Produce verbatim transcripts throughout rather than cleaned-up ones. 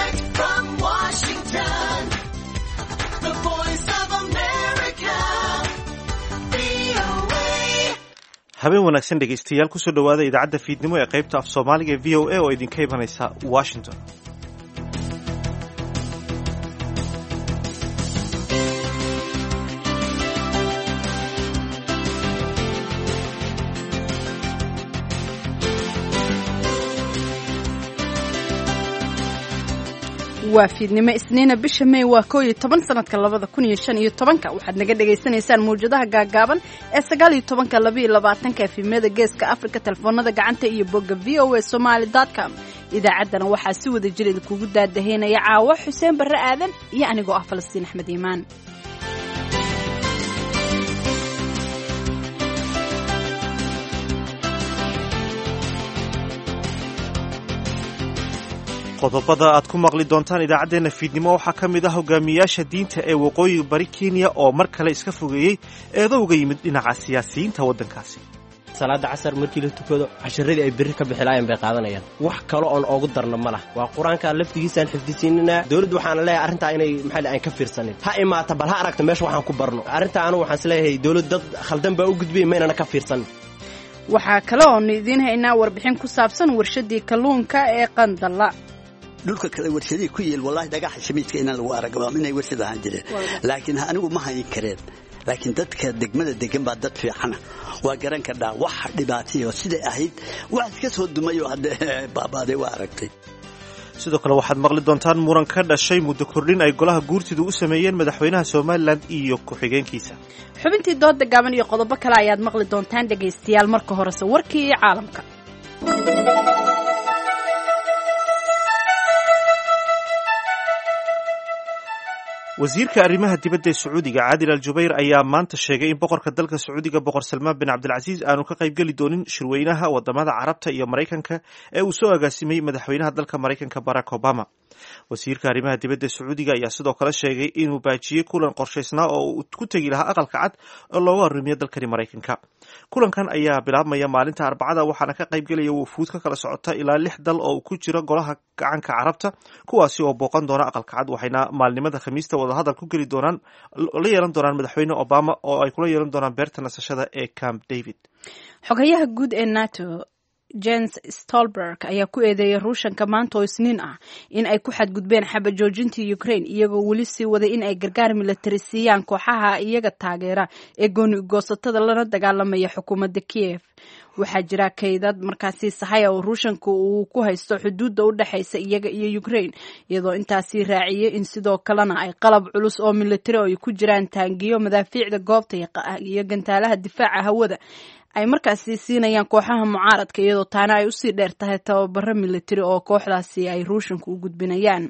Direct from Washington, the voice of America, V O A. Habeen wanaagsan, dhegaystayaal. Kusoo dhowaada idaacadda fiidnimo ee qaybta af Soomaaliga ee V O A oo idinka imanaysa Washington. Waa fiidnimo Isniina, bisha May waa koo iyo toban, sanadka labada kun iyo shan iyo tobanka. Waxaad naga dhagaysanaysaan mawjadaha gaagaaban ee sagaal iyo tobanka, laba iyo labaatanka, efemyada Geeska Afrika, telefoonada gacanta iyo bogga V O A Somali com. Idaacaddana waxaa si wada jir idinkugu daadaheynaya caawo Xuseen Barre Aadan iyo anigoo ah Falastiin Axmed Iimaan. Qodobada aad ku maqli doontaan idaacaddeenna fiidnimo waxaa ka mid ah hogaamiyaasha diinta ee waqooyiga bari Kenya oo mar kale iska fogeeyey eedo uga yimid dhinaca siyaasiyiinta waddankaasi. Salaada casar markii la tukado, casharadii ay berri ka bixilaayeen bay qaadanayaan. Wax kale oon oogu darno ma lah, waa qur-aanka laftigiisaan xifdisiinanaa. Dowladdu waxaana leeyahay arrintaa inay maxaa aan ka fiirsanin, ha imaata, bal ha aragta meesha waxaan ku barno. Arrintaa anigu waxaan isleeyahay dowlad dad khaldan baa u gudbiyay, maynana ka fiirsanin. Waxaa kale oonu idiin haynaa warbixin ku saabsan warshadii kalluunka ee Qandalla. Dhulka kale warshadihii ku yeel, wallahi, dhagaxa shamiidka inaan lagu arag inay warshad ahaan jireen, laakiin anigu ma hayn kareen. Laakiin dadka degmada degan baa dad fiicana, waa garan kardhaa wax dhibaatayo siday ahayd. Wax iska soo dumay oo hadda baabaaday waa aragtay. Sidoo kale waxaad maqli doontaan muran ka dhashay muddo kordhin ay golaha guurtidu u sameeyeen madaxweynaha Somalilan iyo ku-xigeenkiisa. Xubintii dooda gaaban iyo qodobo kale ayaad maqli doontaan, dhegaystayaal. Marka horese warkii caalamka. Wasiirka arrimaha dibadda ee Sacuudiga, Caadil Al Jubayr, ayaa maanta sheegay in boqorka dalka Sacuudiga, Boqor Salmaan bin Cabdilcasiis, aanu ka qaybgeli doonin shirweynaha wadamada Carabta iyo Maraykanka ee uu soo agaasimay madaxweynaha dalka Maraykanka, Barack Obama. Wasiirka arrimaha dibadda ee Sacuudiga ayaa sidoo kale sheegay inuu baajiyey kulan qorshaysnaa oo uu ku tegi lahaa Aqalka Cad oo loogu arrimiyo dalkani Maraykanka. Kulankan ayaa bilaabmaya maalinta Arbacada, waxaana ka qaybgelaya wufuud ka kala socota ilaa lix dal oo ku jira Golaha Gacanka Carabta, kuwaasi oo booqan doona Aqalka Cad, waxayna maalnimada Khamiista wadahadal ku geli doonaan, la yeelan doonaan madaxweyne Obama oo ay kula yeelan doonaan beerta nasashada ee Camp David. Xogayaha guud ee NATO, Jens Stolberg, ayaa ku eedeeyay Ruushanka maanta oo Isniin ah in ay ku xadgudbeen xabajoojintii Ukraine, iyagoo weli sii waday in ay gargaar milatari siiyaan kooxaha iyaga taageera ee gooni goosatada lana dagaalamaya xukuumadda Kiev. Waxaa jira kaydad markaasi sahaya oo Ruushanka uu ku haysto xuduudda u dhexaysa iyaga iyo Ukraine, iyadoo intaasi raaciyay in sidoo kalena ay qalab culus oo milatari oo ay ku jiraan taangiyo, madaafiicda goobta iyo gantaalaha difaaca hawada ay markaasi siinayaan kooxaha mucaaradka, iyadoo taana ay usii dheer tahay tababaro milatari oo kooxdaasi ay Ruushanka u gudbinayaan.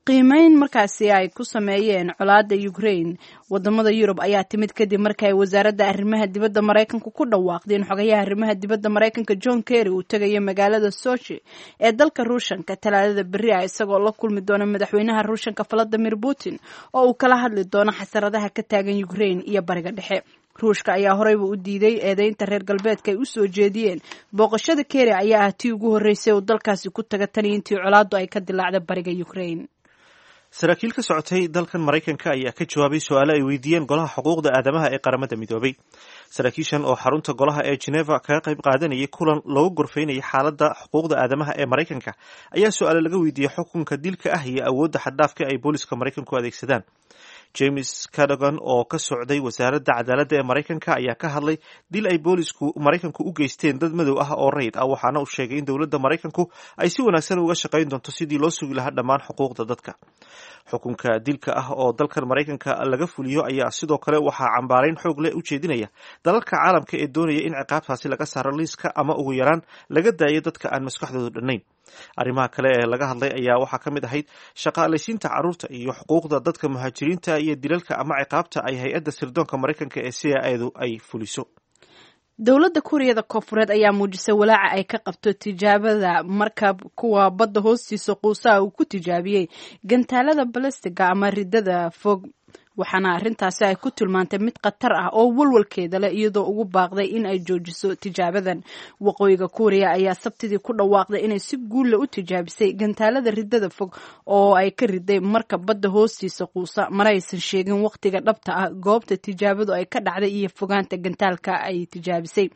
Qiimeyn markaasi ay ku sameeyeen colaada Ukraine wadamada Yurub ayaa timid kadib markii ay wasaaradda arrimaha dibadda Maraykanka ku dhawaaqday in xogayaha arrimaha dibadda Maraykanka, John Kerry, uu tegayo magaalada Sochi ee dalka Ruushanka Talaadada berri ah, isagoo la kulmi doona madaxweynaha Ruushanka, Valadimir Putin, oo uu kala hadli doono xasaradaha ka taagan Ukraine iyo Bariga Dhexe. Ruushka ayaa horeyba u diiday eedeynta reer galbeedka ay u soo jeediyeen. Booqashada Kerry ayaa ah tii ugu horreysay uu dalkaasi ku taga tan iyo intii colaaddu ay ka dilaacda bariga Ukraine. Saraakiil ka socotay dalkan Maraykanka ayaa ka jawaabay su-aalo ay weydiiyeen Golaha Xuquuqda Aadamaha ee Qaramada Midoobay. Saraakiishan oo xarunta golaha ee Geneva kaga qayb qaadanayay kulan loogu gorfeynayay xaaladda xuquuqda aadamaha ee Maraykanka ayaa su-aalo laga weydiiyey xukunka dilka ah iyo awoodda xaddhaafka ay booliska Maraykanku adeegsadaan. James Cadogan oo ka socday wasaaradda cadaaladda ee Maraykanka ayaa ka hadlay dil ay boolisku Maraykanku u geysteen dad madow ah oo rayid ah, waxaana uu sheegay in dowladda Maraykanku ay si wanaagsan uga shaqayn doonto sidii loo sugi lahaa dhammaan xuquuqda dadka. Xukunka dilka ah oo dalkan Maraykanka laga fuliyo ayaa sidoo kale waxaa cambaarayn xoog leh u jeedinaya dalalka caalamka ee doonaya in ciqaabtaasi laga saaro liiska ama ugu yaraan laga daayo dadka aan maskaxdoodu dhannayn. Arrimaha kale ee laga hadlay ayaa waxaa ka mid ahayd shaqaalaysiinta carruurta iyo xuquuqda dadka muhaajiriinta iyo dilalka ama ciqaabta ay hay-adda sirdoonka Maraykanka ee C I A-du ay fuliso. Dowladda Kuuriyada Koonfureed ayaa muujisay walaaca ay ka qabto tijaabada markab kuwa badda hoostiisa quusaha uu ku tijaabiyey gantaalada balastiga ama ridada fog. Waxaana arrintaasi ay ku tilmaantay mid khatar ah oo walwalkeeda leh, iyadoo ugu baaqday in ay joojiso tijaabadan. Waqooyiga Kuuriya ayaa Sabtidii ku dhawaaqday inay si guulla u tijaabisay gantaalada ridada fog oo ay ka riday marka badda hoostiisa quusa. Mana aysan sheegin waqtiga dhabta ah, goobta tijaabadu ay ka dhacday iyo fogaanta gantaalka ay tijaabisay.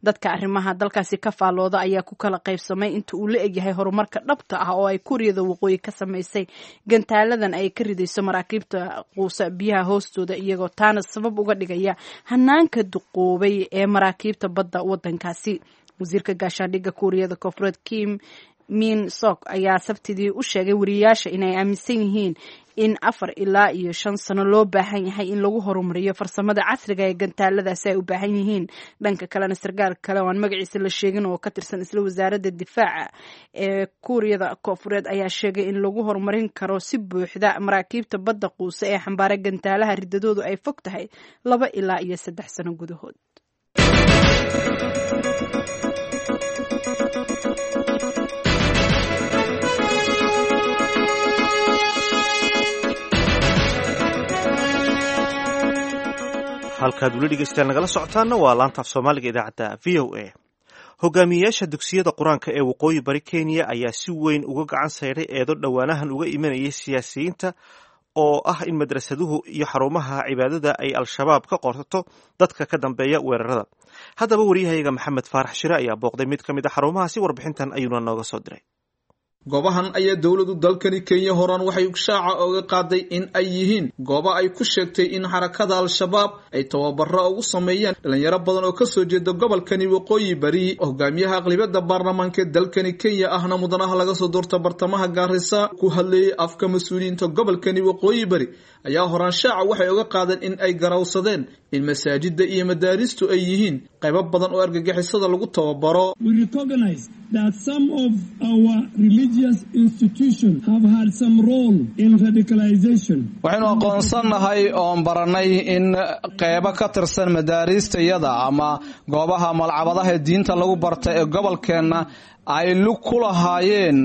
Dadka arrimaha dalkaasi ka faallooda ayaa ku kala qaybsamay inta uu la egyahay horumarka dhabta ah oo ay Kuuriyada Waqooyi ka samaysay gantaaladan ay ka ridayso maraakiibta quusa biyaha hoostooda, iyagoo taana sabab uga dhigaya hanaanka duqoobay ee maraakiibta badda wadankaasi. Wasiirka gaashaandhigga Kuuriyada Koonfureed Kim Min Sok ayaa Sabtidii u sheegay wariyayaasha inay aaminsan yihiin in afar ilaa iyo shan sano loo baahan yahay in lagu horumariyo farsamada casriga ee gantaaladaasi ay u baahan yihiin. Dhanka kalena, sarkaal kale oo aan magaciisa la sheegin oo ka tirsan isla wasaaradda difaaca ee Kuuriyada Koonfureed ayaa sheegay in lagu horumarin karo si buuxda maraakiibta badda quuse ee xambaara gantaalaha ridadoodu ay fog tahay laba ilaa iyo saddex sano gudahood. Halkaad weli dhegeystayaal nagala socotaana waa laantaaf Soomaaliga idaacadda V O A. Hogaamiyeyaasha dugsiyada Qur-aanka ee waqooyi bari Kenya ayaa si weyn uga gacan sayray eedo dhowaanahan uga imanayay siyaasiyiinta oo ah in madrasaduhu iyo xarumaha cibaadada ay Al-Shabaab ka qorto dadka ka dambeeya weerarada. Haddaba, wariyahayaga Maxamed Faarax Shire ayaa booqday mid ka mid a xarumahaasi, warbixintan ayuuna nooga soo diray. Goobahan ayaa dowladu dalkani Kenya horaan waxay shaaca oga qaaday in ay yihiin goobo ay ku sheegtay in xarakada Al-Shabaab ay tababaro ugu sameeyaan dhalinyaro badan oo kasoo jeeda gobolkani waqooyi bari. Hogaamiyaha aqlibiyada baarlamaanka dalkani Kenya, ahna mudanaha laga soo doorta bartamaha Gaarisa, ku hadlayay afka mas-uuliyiinta gobolkani waqooyi bari, ayaa horaan shaaca waxay oga qaadeen in ay garawsadeen in masaajida iyo madaaristu ay yihiin qaybo badan oo argagixisada lagu tababaro. That some of our religious institutions have had some role in radicalization. Waxaynu aqoonsannahay oon baranay in qeybo ka tirsan madaariistayada ama goobaha malcabadaha diinta lagu barta ee gobolkeenna ay lug ku lahaayeen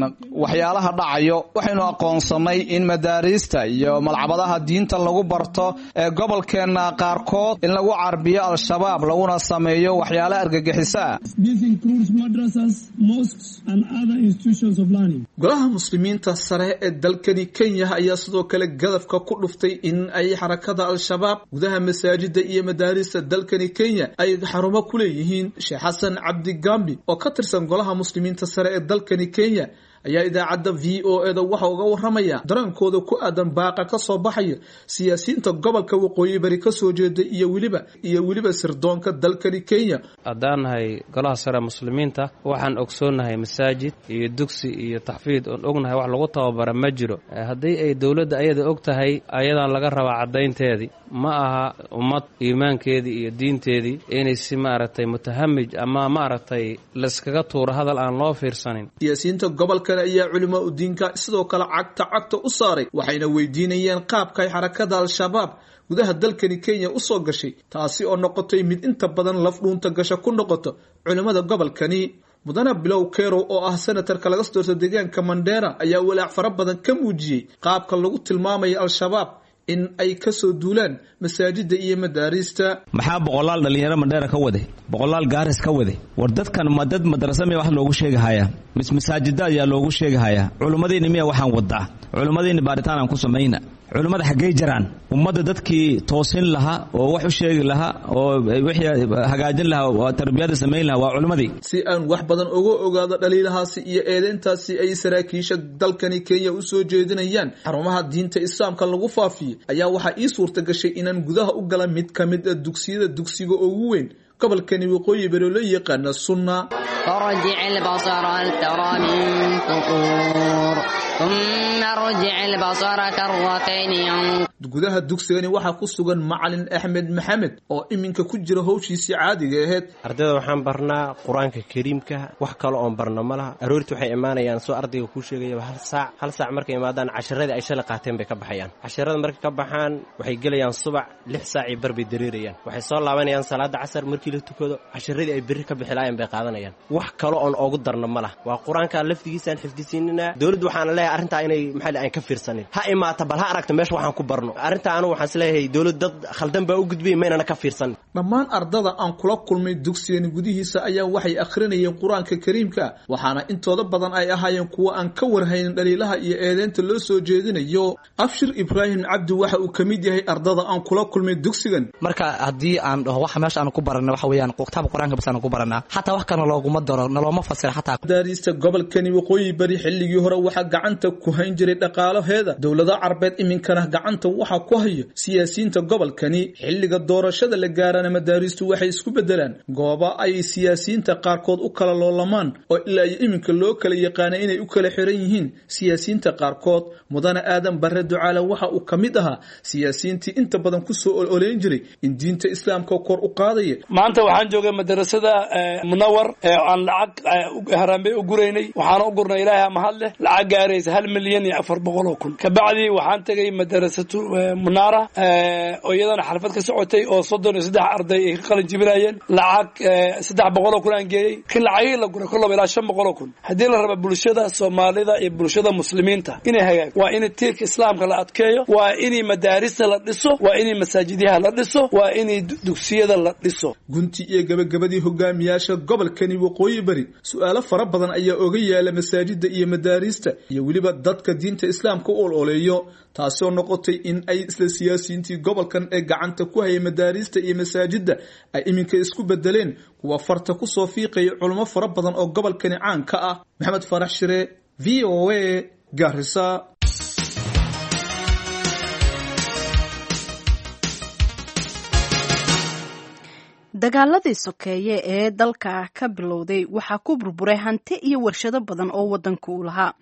waxyaalaha dhacayo. Waxaynu aqoonsannay in madaariista iyo malcabadaha diinta lagu barto ee gobolkeenna qaarkood in lagu carbiyo Al-Shabaab, laguna sameeyo waxyaala argagixisaa. This includes madrasas, mosques and other institutions of learning. Golaha Muslimiinta sare ee dalkani Kenya ayaa sidoo kale gadafka ku dhuftay in ay xarakada Al-Shabaab gudaha masaajida iyo madaarista dalkani Kenya ay xarumo ku leeyihiin. Sheekh Xasan Cabdi Gambi oo ka tirsan golaha Muslimiinta sare ee dalkani Kenya ayaa idaacadda V O A da waxa uga waramaya dareenkooda ku aadan baaqa ka soo baxaya siyaasiyiinta gobolka waqooyi bari ka soo jeeda iyo weliba iyo weliba sirdoonka dalkani Kenya. Haddaan nahay golaha sare muslimiinta, waxaan ogsoonnahay masaajid iyo dugsi iyo taxfiid oon ognahay wax lagu tababara ma jiro. Haddii ay dowladda ayada og tahay, ayadaan laga rabaa caddaynteedii. Ma aha ummad iimaankeedii iyo diinteedii inay si maaragtay mutahamij ama maaragtay layskaga tuuro hadal aan loo fiirsanin. Siyaasiyiinta gobolkan ayaa culimaa udiinka sidoo kale cagta cagta u saaray, waxayna weydiinayeen qaabka ay xarakada Al-Shabaab gudaha dalkani Kenya usoo gashay, taasi oo noqotay mid inta badan laf dhuunta gasha ku noqoto culimmada gobolkani. Mudane Bilow Kerow oo ah senatarka laga soo doorto deegaanka Mandera ayaa walaac fara badan ka muujiyey qaabka lagu tilmaamayo Al-Shabaab in ay kasoo duulaan masaajida iyo madaariista. Maxaa boqolaal dhalinyaro Mandheera ka waday, boqolaal Gaaris ka waday? War dadkan ma dad madrasa miya wax loogu sheegahayaa, mis masaajida ayaa loogu sheegahayaa? Culimmadiinni miya waxaan wadaa? Culimmadiinni baaritaan aan ku samayna. Culimmada xaggey jaraan? Ummadda dadkii toosin lahaa oo wax u sheegi lahaa oo wixii hagaajin lahaa oo tarbiyada samayn lahaa waa culimmadii. Si aan wax badan uga ogaado dhaliilahaasi iyo eedeyntaasi ay saraakiisha dalkani Kenya usoo jeedinayaan xarumaha diinta Islaamka lagu faafiyey, ayaa waxaa ii suurta gashay inaan gudaha u gala mid ka mid a dugsiyada, dugsiga ugu weyn gobolkani waqooyi bari oo loo yaqaana Sunna. فارجع البصر هل ترى من فطور، ثم ارجع البصر كرتين. Gudaha dugsigani waxaa ku sugan macalin Axmed Maxamed oo iminka ku jira howshiisii caadiga ahayd. Ardayda waxaan barnaa Qur-aanka Kariimka, wax kale oon barna ma laha. Aroorti waxay imaanayaan, soo ardayga kuu sheegayaba, hal saac. Hal saac markay imaadaan, casharadii ay shalay qaateen bay ka baxayaan. Casharada markay ka baxaan, waxay gelayaan subac lix saacii bar bay dareerayaan. Waxay soo laabanayaan salaada casar markii la tukado, casharadii ay berri ka bixi laayeen bay qaadanayaan. Wax kale oon oogu darna ma laha, waa Qur-aanka laftigiisaan xifdisiinina. Dowladdu waxaana leeyahay arrintaa inay maxaa aan ka fiirsanin. Ha imaata, bal ha aragta meesha waxaan ku barno. Arrinta anu waxaan isleeyahay dowlad dad khaldan baa u gudbiyay, maynana ka fiirsan. Dhammaan ardada aan kula kulmay dugsigan gudihiisa ayaa waxay akhrinayeen Qur-aanka Kariimka, waxaana intooda badan ay ahaayeen kuwo aan ka warhaynin dhaliilaha iyo eedeynta loo soo jeedinayo. Abshir Ibraahim Cabdi waxa uu ka mid yahay ardada aan kula kulmay dugsigan. Marka haddii aan dhaho waxa meesha aan ku baranay waxa weeyaan kitaabka Qur-aanka bas aan ku baranaa, xataa wax kana looguma daro, nalooma fasira xataa. Madaariista gobolkani Waqooyi Bari xilligii hore waxaa gacanta ku hayn jiray dhaqaalaheeda dowlada Carbeed, iminkana gacanta waxaa ku hayo siyaasiyiinta gobolkani. Xilliga doorashada la gaarana madaariistu waxay isku bedelaan gooba ay siyaasiyiinta qaarkood u kala loolamaan, oo ilaa iyo iminka loo kala yaqaana inay u kala xiran yihiin siyaasiyiinta qaarkood. Mudane Aadan Barre Ducaale waxa uu ka mid ahaa siyaasiyiintii inta badan kusoo ololeyn jiray in diinta Islaamka kor u qaadaya. Maanta waxaan joogay madarasada Munawar ee aan lacag haraanbey u guraynay, waxaana u gurnay Ilaahay mahad leh lacag gaaraysa hal milyan iyo afar boqol oo kun. Kabacdi waxaan tegay madarasatu Munaara oo iyadana xalfad ka socotay oo soddon iyo saddex arday ay ka qalin jibinayeen, lacag saddex boqol oo kun aan geeyey. Kin lacagihii la guray kollaba ilaa shan boqol oo kun. Haddii la raba bulshada Soomaalida iyo bulshada Muslimiinta inay hagaag, waa in tiirka Islaamka la adkeeyo, waa in madaarista la dhiso, waa in masaajidyaha la dhiso, waa in dugsiyada la dhiso. Gunti iyo gabagabadii hogaamiyaasha gobolkani Waqooyi Bari su'aalo fara badan ayaa oga yaala masaajida iyo madaarista iyo weliba dadka diinta Islaamka u ololeeyo, taasoo noqotay in ay isla siyaasiyiintii gobolkan ee gacanta ku hayay madaarista iyo masaajida ay iminka isku bedeleen kuwa farta ku soo fiiqaya culimo fara badan oo gobolkani caan ka ah. Maxamed Farax Shire, V O A, Garissa. Dagaaladii sokeeye ee dalka ka bilowday waxaa ku burburay hanti iyo warshado badan oo wadanka uu lahaa.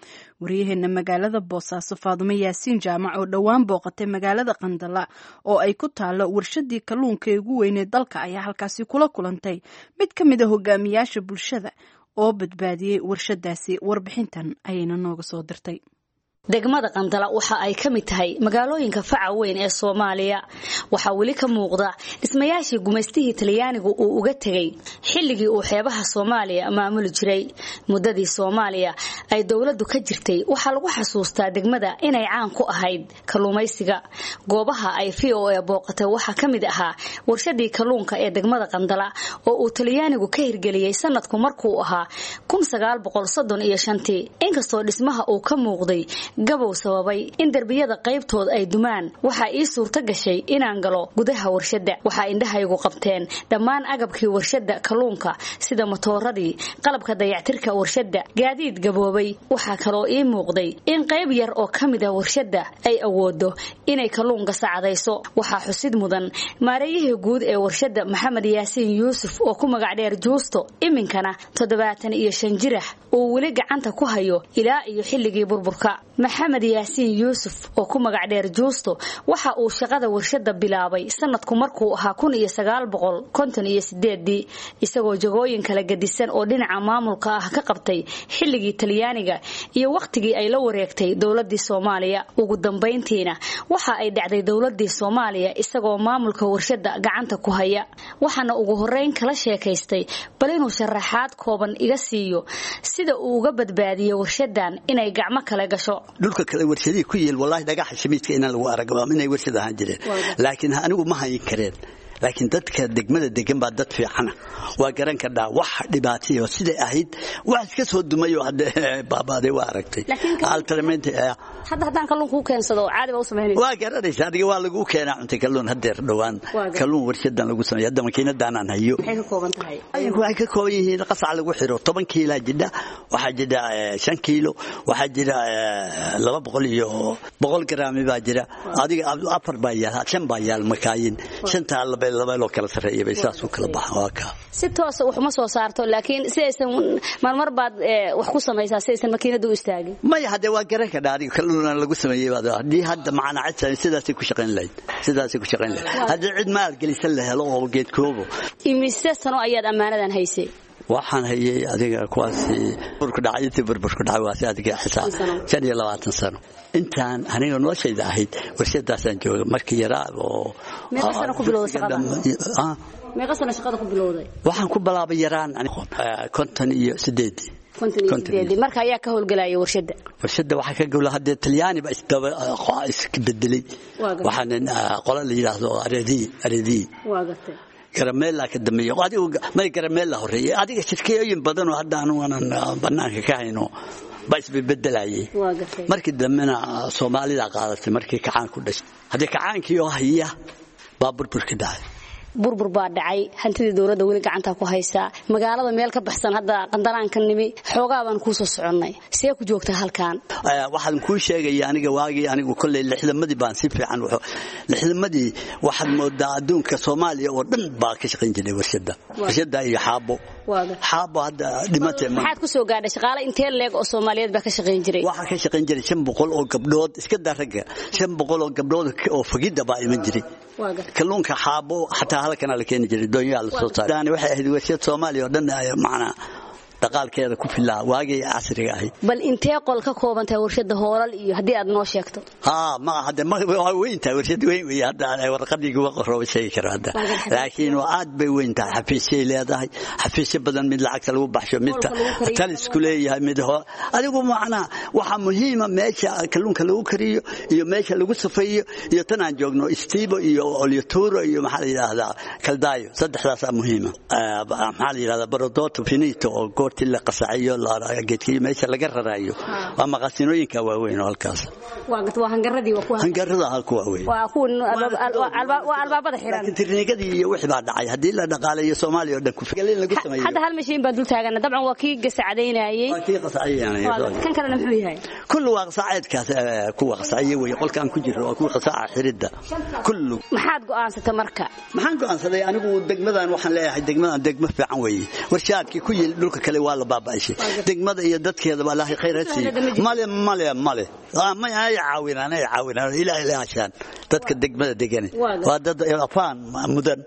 Waryaheena magaalada Boosaaso Faadumo Yaasiin Jaamac oo dhowaan booqatay magaalada Qandala oo ay ku taalo warshadii kalluunka ee ugu weyneed dalka ayaa halkaasi kula kulantay mid ka mid a hogaamiyaasha bulshada oo badbaadiyey warshadaasi. Warbixintan ayayna nooga soo dirtay. Degmada Qandala waxa ay ka mid tahay magaalooyinka faca weyn ee Soomaaliya. Waxaa weli ka muuqda dhismayaashii gumaystihii Talyaanigu uu uga tegay xilligii uu xeebaha Soomaaliya maamuli jiray. Muddadii Soomaaliya ay dowladdu ka jirtay waxaa lagu xasuustaa degmada inay caan ku ahayd kalluumaysiga. Goobaha ay V O A booqatay waxaa ka mid ahaa warshadii kalluunka ee degmada Qandala oo uu Talyaanigu ka hirgeliyey sanadku markuu ahaa kun sagaal boqol soddon iyo shantii. Inkastoo dhismaha uu ka muuqday gabow sababay in darbiyada qaybtood ay dumaan, waxaa ii suurto gashay inaan galo gudaha warshadda. Waxaa indhahaygu qabteen dhammaan agabkii warshadda kalluunka sida matooradii, qalabka dayactirka warshadda, gaadiid gaboobay. Waxaa kaloo ii muuqday in qayb yar oo ka mid ah warshadda ay awoodo inay kalluunka sacadayso. Waxaa xusid mudan maareeyihii guud ee warshadda Maxamed Yaasiin Yuusuf oo ku magac dheer Juusto, iminkana toddobaatan iyo shan jirah uu weli gacanta ku hayo ilaa iyo xilligii burburka. Maxamed Yaasiin Yuusuf oo ku magac dheer Juusto waxa uu shaqada warshadda bilaabay sanadku markuu ahaa kun iyo sagaal boqol konton iyo sideedii, isagoo jagooyin kala gedisan oo dhinaca maamulka ah ka qabtay xilligii Talyaaniga iyo waqtigii ay la wareegtay dowladii Soomaaliya. Ugu dambeyntiina waxa ay dhacday dowladii Soomaaliya isagoo maamulka warshadda gacanta ku haya. Waxaana ugu horeyn kala sheekaystay bal inuu sharaxaad kooban iga siiyo sida uu uga badbaadiyo warshaddan inay gacmo kale gasho. Dhulka kale warshadii ku yeel wallahi dhagaxa shamiidka inaan lagu arag inay warshad ahaan jireen, laakiin anigu ma hayn kareen. Laakiin dadka degmada degan baa dad fiicana, waa garan kardhaa wax dhibaatayo siday ahayd, wax iska soo dumay oo hadda baabaaday waa aragtay. Hadda haddaan kalluun kuu keensado caadi baa u samaynaysa? Waa garanaysa adiga, waa lagu keenaa cunta kalluun haddeer dhowaan kalluun warshadan lagu sameeyo. Hadda makiinadan aan hayo maxay ka kooban tahay? Waxay ka kooban yihiin qasac lagu xiro toban kiilaa jidha, waxaa jira shan kiilo, waxaa jira laba boqol iyo boqol garaami baa jira, adiga afar baa yaal, shan baa yaal makaayin, shantaa laba laba loo kala sareeyo bay saas u kala baxaan. Waa ka si toos wax uma soo saarto, laakiin si aysan marmar baad wax ku samaysaa si aysan makiinadu u istaagin. Maya hadda waa garan ka dhaari kalluun lagu sameeyay baad haddii hadda macana cid sidaasay ku shaqayn lahayd, sidaasay ku shaqayn lahayd haddii cid maal gelisan la helo oo geedkoobo. Imise sano ayaad ammaanadan haysay? Waxaan hayay adiga kuwaasi burku dhacay, intii burburku dhacay waa si adiga xisaab shan iyo labaatan sano intaan aniga noloshayda ahayd warshadaasaan jooga markii yaraa oo. Meeqa sano ku bilowday shaqada? Meeqa sano shaqada ku bilowday? Waxaan ku bilaabay yaraan konton iyo sideedii. Konton iyo sideedii. Marka ayaa ka howlgelaya warshadda? Warshadda waxaa ka gowla haddee Talyaani baa isdaba iska bedelay. Waxaana qola la yidhaahdo Aredi Aredi. Waa gartay. Garameella ka dambeeyo, adigu may Garameella horeeyay. Adiga shirkooyin badan oo hadda aanu aanan banaanka ka hayno baa isbedelayay. Markii dambena Soomaalida qaadatay markii kacaan ku dhashay. Haddii kacaankii oo haya baa burbur ka dhacay. Burbur baa dhacay, hantidii dowladda weli gacanta ku haysaa. Magaalada meel ka baxsan hadda Qandalaan ka nimi, xoogaa baan kuu soo soconnay. See ku joogtaa halkan? Waxaan kuu sheegaya aniga waagii anigu kolley lixdamadii baan si fiican wuxuu lixdamadii waxaad moodaa adduunka Soomaaliya oo dhan baa ka shaqayn jiray warshadda. Warshadda iyo xaabo. Xaabo hadda dhimatay. Maxaad ku soo gaadhay shaqaale intee leeg oo Soomaaliyeed baa ka shaqayn jiray? Waxaa ka shaqayn jiray shan boqol oo gabdhood, iska daa ragga, shan boqol oo gabdhood oo fagidda baa iman jiray. Kalluunka xaabo xataa halkan la keeni jiray, doonyaha la soo saaray. Waxay ahayd warshad Soomaaliya oo dhan macnaa dhaqaalkeeda ku filaa waagii casriga ahayd. Bal intee qol ka kooban tahay warshadda, hoolal iyo haddii aad noo sheegto? Haa, ma hadda ma waa weyn tahay warshad weyn weeye hadda warqadii uga qoro sheegi karo hadda. Laakiin waa aad bay weyn tahay, xafiisyay leedahay, xafiisyo badan, mid lacagta lagu baxsho, mid talisku leeyahay, mid adigu macnaa waxaa muhiima meesha kalluunka lagu kariyo iyo meesha lagu safeeyo iyo tan aan joogno istiibo iyo olyoturo iyo maxaa la yidhaahdaa kaldaayo, saddexdaasaa muhiima. Maxaa la yidhahdaa barodoto finito oo goortii la qasaciyo geedkii meesha laga rarayo, waa maqaasinooyinka waaweyn oo halkaas. Waa hangaradii, waa kuwa hangarada halku waaweyn, waa kuwa waa albaabada xiran. Laakiin tirnigadii iyo wixii baa dhacay. Haddii la dhaqaaleeyo Soomaaliya oo dhan ku filan lagu sameeyo. Hadda hal mashiin baan dul taagana, dabcan waa kii gasacadaynayay. Waa kii qasacaynayay. Kan kalena muxuu yahay? Kullu waa qasaceedkaas, kuwa qasaciye weeye. Qolkaan ku jiro waa kuwa qasaca xiridda kullu. Maxaad go'aansatay marka? Maxaan go'aansaday anigu degmadan waxaan leeyahay degmadan degmo fiican weeye. Warshaadkii ku yil dhulka kale waa la baaba'ishay. Degmada iyo dadkeeda baa Ilaahay khayr ha siiyo. Male male male ma ay caawinaan, ay caawinaan ilaahay ilaashaan dadka degmada degan waa dad afaan mudan.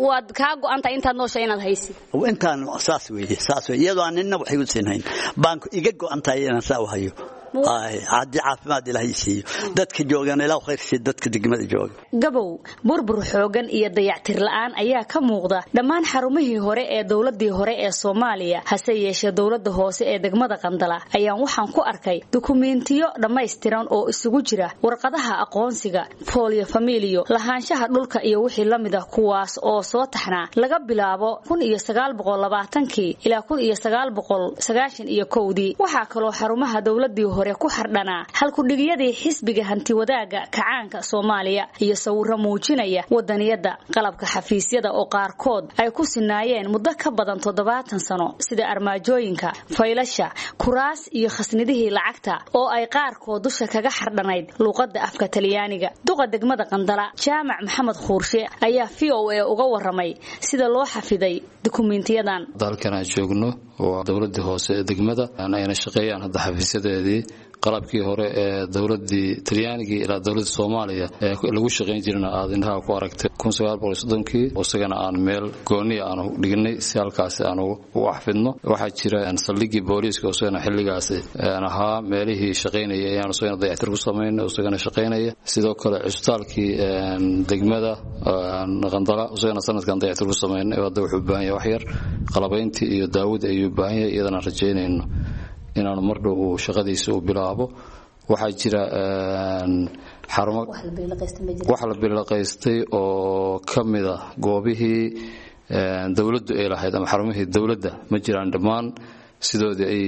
Waad kaa go'aantay intaad nooshay inaad haysid? Intaan saas weeye, saas weeye, iyadoo aan nina wax igu siinhayn baan iga go'antahay inaan saa u hayo. Haddii caafimaad Ilaahay siiyo dadka joogan, Ilaah khayr siiyo dadka degmada jooga. Gabow, burbur xoogan iyo dayactir la'aan ayaa ka muuqda dhammaan xarumihii hore ee dowladii hore ee Soomaaliya. Hase yeeshee dowladda hoose ee degmada Qandala ayaan waxaan ku arkay dukumeentiyo dhammaystiran oo isugu jira warqadaha aqoonsiga, folio familio, lahaanshaha dhulka iyo wixii la mid ah, kuwaas oo soo taxnaa laga bilaabo kun iyo sagaal boqol labaatankii ilaa kun iyo sagaal boqol sagaashan iyo kowdii. Waxaa kaloo xarumaha dowladii hore ku xardhanaa halkudhigiyadii xisbiga hantiwadaaga kacaanka Soomaaliya iyo sawirro muujinaya wadaniyada. Qalabka xafiisyada oo qaarkood ay ku sinaayeen muddo ka badan toddobaatan sano, sida armaajooyinka, faylasha, kuraas iyo khasnidihii lacagta oo ay qaarkood dusha kaga xardhanayd luuqadda afka Talyaaniga. Duqa degmada Qandala Jaamac Maxamed Khuurshe ayaa V O A uga waramay sida loo xafiday dukumeentiyadan. Dalkan aan joogno waa dowladii hoose ee degmada, ayna shaqeeyaan hadda xafiisyadeedii qalabkii hore ee dowladii Talyaaniga ilaa dowladda Soomaaliya ee lagu shaqeyn jirna aad indhaha ku aragtay kun sagaal boqol soddonkii, isagana aan meel gooni aan dhignay si halkaasi aan u xafidno. Waxaa jira saldhiggii booliiska isagana xilligaasi aan ahaa meelihii shaqeynaya ayaan isagana dayactir ku samaynay, isagana shaqeynaya. Sidoo kale cusbitaalkii degmada Qandala isagana sanadkan dayactir ku samaynay, hadda wuxuu u baahan yahay wax yar qalabayntii iyo daawada ayuu u baahan yahay, iyadana rajaynayno inaanu mar dhow uu shaqadiisa u bilaabo. Waxaa jira xarumo wax la bilaqaystay oo ka mid ah goobihii dowladdu ay lahayd ama xarumihii dowladda ma jiraan, dhammaan sidoodii ay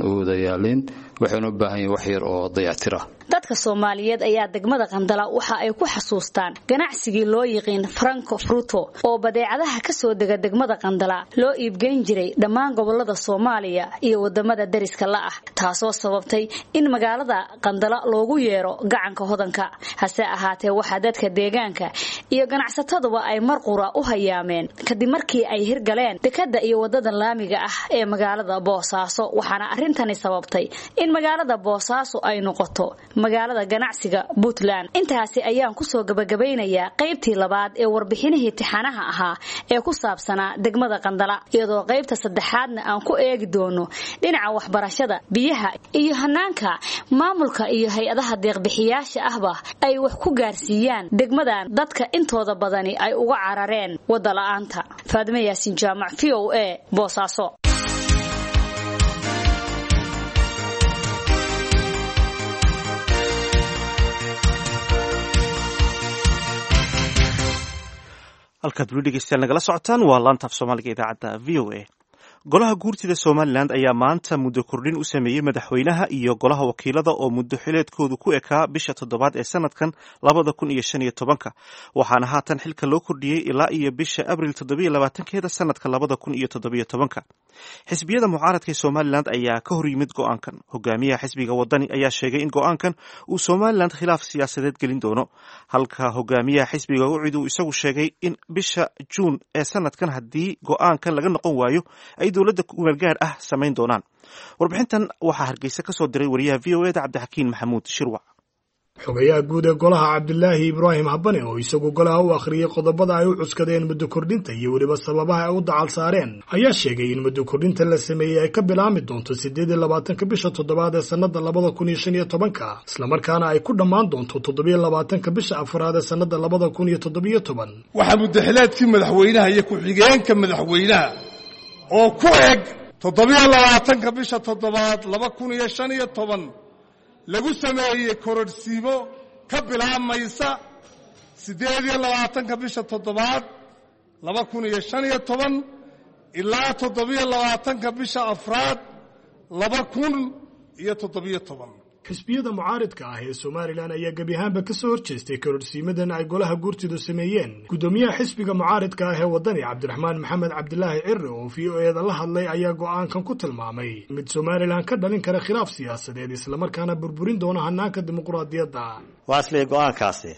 u wada yaaleen, waxayna u baahan yihiin wax yar oo dayactir ah. Dadka Soomaaliyeed ayaa degmada Qandala waxa ay ku xasuustaan ganacsigii loo yiqiin Franco Fruto oo badeecadaha ka soo dega degmada Qandala loo iibgeyn jiray dhammaan gobolada Soomaaliya iyo wadamada dariska la ah, taasoo sababtay in magaalada Qandala loogu yeero gacanka hodanka. Hase ahaatee waxaa dadka deegaanka iyo ganacsataduba ay mar qura u hayaameen kadib markii ay hirgaleen dekada iyo wadada laamiga ah ee magaalada Boosaaso, waxaana arrintani sababtay in magaalada Boosaaso ay noqoto magaalada ganacsiga Puntland. Intaasi ayaan ku soo gabagabeynayaa qaybtii labaad ee warbixinihii tixanaha ahaa ee ku saabsanaa degmada Qandala, iyadoo qaybta saddexaadna aan ku eegi doono dhinaca waxbarashada, biyaha iyo hanaanka maamulka iyo hay-adaha deeqbixiyaasha ahba ay wax ku gaarsiiyaan degmadan dadka intooda badani ay uga carareen wada la'aanta. Faadime Yaasiin Jaamac, V O A, Boosaaso. Halkaad weli dhegeystayaal nagala socotaan waa laanta af Soomaaliga idaacadda V O A. Golaha guurtida Somalilan ayaa maanta muddo kordhin u sameeyey madaxweynaha iyo golaha wakiilada oo muddo xileedkoodu ku ekaa bisha toddobaad ee sanadkan labada kun iyo shan iyo tobanka, waxaana haatan xilka loo kordhiyey ilaa iyo bisha Abril toddobiyo labaatankeeda sanadka labada kun iyo toddobiyo tobanka. Xisbiyada mucaaradka ee Somalilan ayaa ka hor yimid go'aankan. Hogaamiyaha xisbiga Wadani ayaa sheegay in go'aankan uu Somalilan khilaaf siyaasadeed gelin doono, halka hogaamiyaha xisbiga Ucid uu isagu sheegay in bisha Juun ee sanadkan haddii go'aankan laga noqon waayo ay dowladda kumeelgaar ah samayn doonaan. Warbixintan waxaa Hargeysa ka soo diray wariyaha V O E da Cabdixakiin Maxamuud Shirwac. Xogayaha guud ee golaha, Cabdilaahi Ibraahim Habane, oo isagu golaha u akhriyey qodobada ay u cuskadeen muddo kordhinta iyo weliba sababaha ay u dacal saareen, ayaa sheegay in muddo kordhinta la sameeyey ay ka bilaami doonto siddeed iyo labaatanka bisha toddobaad ee sannada labada kun iyo shan iyo tobanka, islamarkaana ay ku dhammaan doonto toddobiyo labaatanka bisha afraad ee sannada labada kun iyo toddobiyo toban. Waxaa muddaxileedkii madaxweynaha iyo ku-xigeenka madaxweynaha oo ku eg toddobiyo labaatanka bisha toddobaad laba kun iyo shan iyo toban lagu sameeyey kororhsiimo ka bilaabmaysa siddeed iyo labaatanka bisha toddobaad laba kun iyo shan iyo toban ilaa toddobiyo labaatanka bisha afraad laba kun iyo toddobiyo toban. Xisbiyada mucaaridka ah ee Somalilan ayaa gebi ahaanba ka soo horjeestay kororhsiimadan ay golaha guurtidu sameeyeen. Guddoomiyaha xisbiga mucaaridka ah ee Wadani, Cabdiraxmaan Maxamed Cabdilaahi Cire, oo V O E da la hadlay, ayaa go'aankan ku tilmaamay mid Somalilan ka dhalin kara khilaaf siyaasadeed, islamarkaana burburin doona hanaanka dimuqraadiyadda. Waxaan isleeyahay go'aankaasi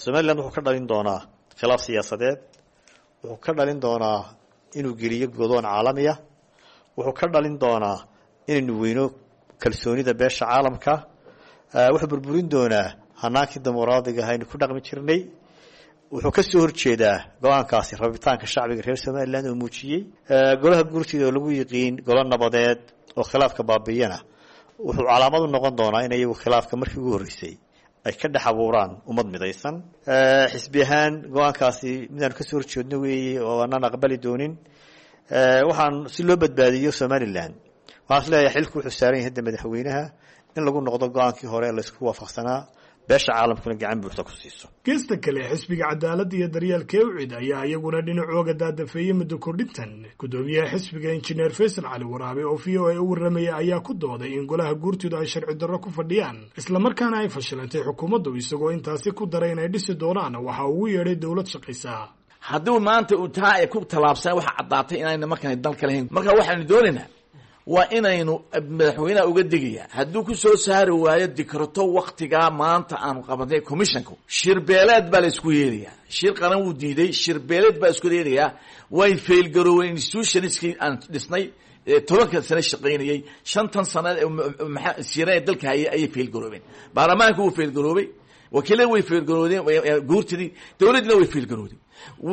Somalilan wuxuu ka dhalin doonaa khilaaf siyaasadeed, wuxuu ka dhalin doonaa inuu geliyo godoon caalamiya, wuxuu ka dhalin doonaa inaynu weyno kalsoonida beesha caalamka, wuxuu burburin doonaa hanaankii dimuqraadiga aynu ku dhaqmi jirnay. Wuxuu ka soo horjeedaa go-aankaasi rabitaanka shacbiga reer Somalilan oo muujiyey. Golaha guurtida oo lagu yiqiin golo nabadeed oo khilaafka baabiiyana, wuxuu calaamad u noqon doonaa in iyagu khilaafka markii ugu horreysay ay ka dhex abuuraan ummad midaysan. Xisbi ahaan go-aankaasi midaanu kasoo horjeedno weeye oo aanaan aqbali doonin. Waxaan si loo badbaadiyo Somalilan, waxaan is leeyahay xilku wuxuu saaran yahay hadda madaxweynaha in lagu noqdo go-aankii hore ee laysku waafaqsanaa, beesha caalamkuna gacan buuxda ku siiso. Geesta kale, xisbiga Cadaaladda iyo Daryeelka Ucid ayaa iyaguna dhinacooga daadafeeyey muddo kordhintan. Guddoomiyaha xisbiga, Injineer Faysal Cali Waraabe, oo V O A u warramayay, ayaa ku dooday in golaha guurtidu ay sharci darro ku fadhiyaan, islamarkaana ay fashilantay xukuumaddu, isagoo intaasi ku daray inay dhisi doonaan waxa ugu yeedhay dowlad shaqaysa. Hadduu maanta uu taa ay ku tallaabsan, waxa caddaatay inayna markaan dalka lahayn. Marka waxaanu doonaynaa waa inaynu madaxweynaha uga digaya, hadduu ku soo saari waayo dikrato waktigaa maanta aanu qabanay commissionku, shirbeeleed baa la isku yeelayaa. Shir qaran wuu diiday, shirbeeleed baa isku yeelayaa. Way failgarooween institutionskii aan dhisnay tobanka sane shaqaynayay, shantan sane sira dalka hayay ayay failgaroobeen. Baarlamaanka wuu failgaroobay, wakiilada way failgaroodeen, guurtidii dowladdina way failgaroodeen.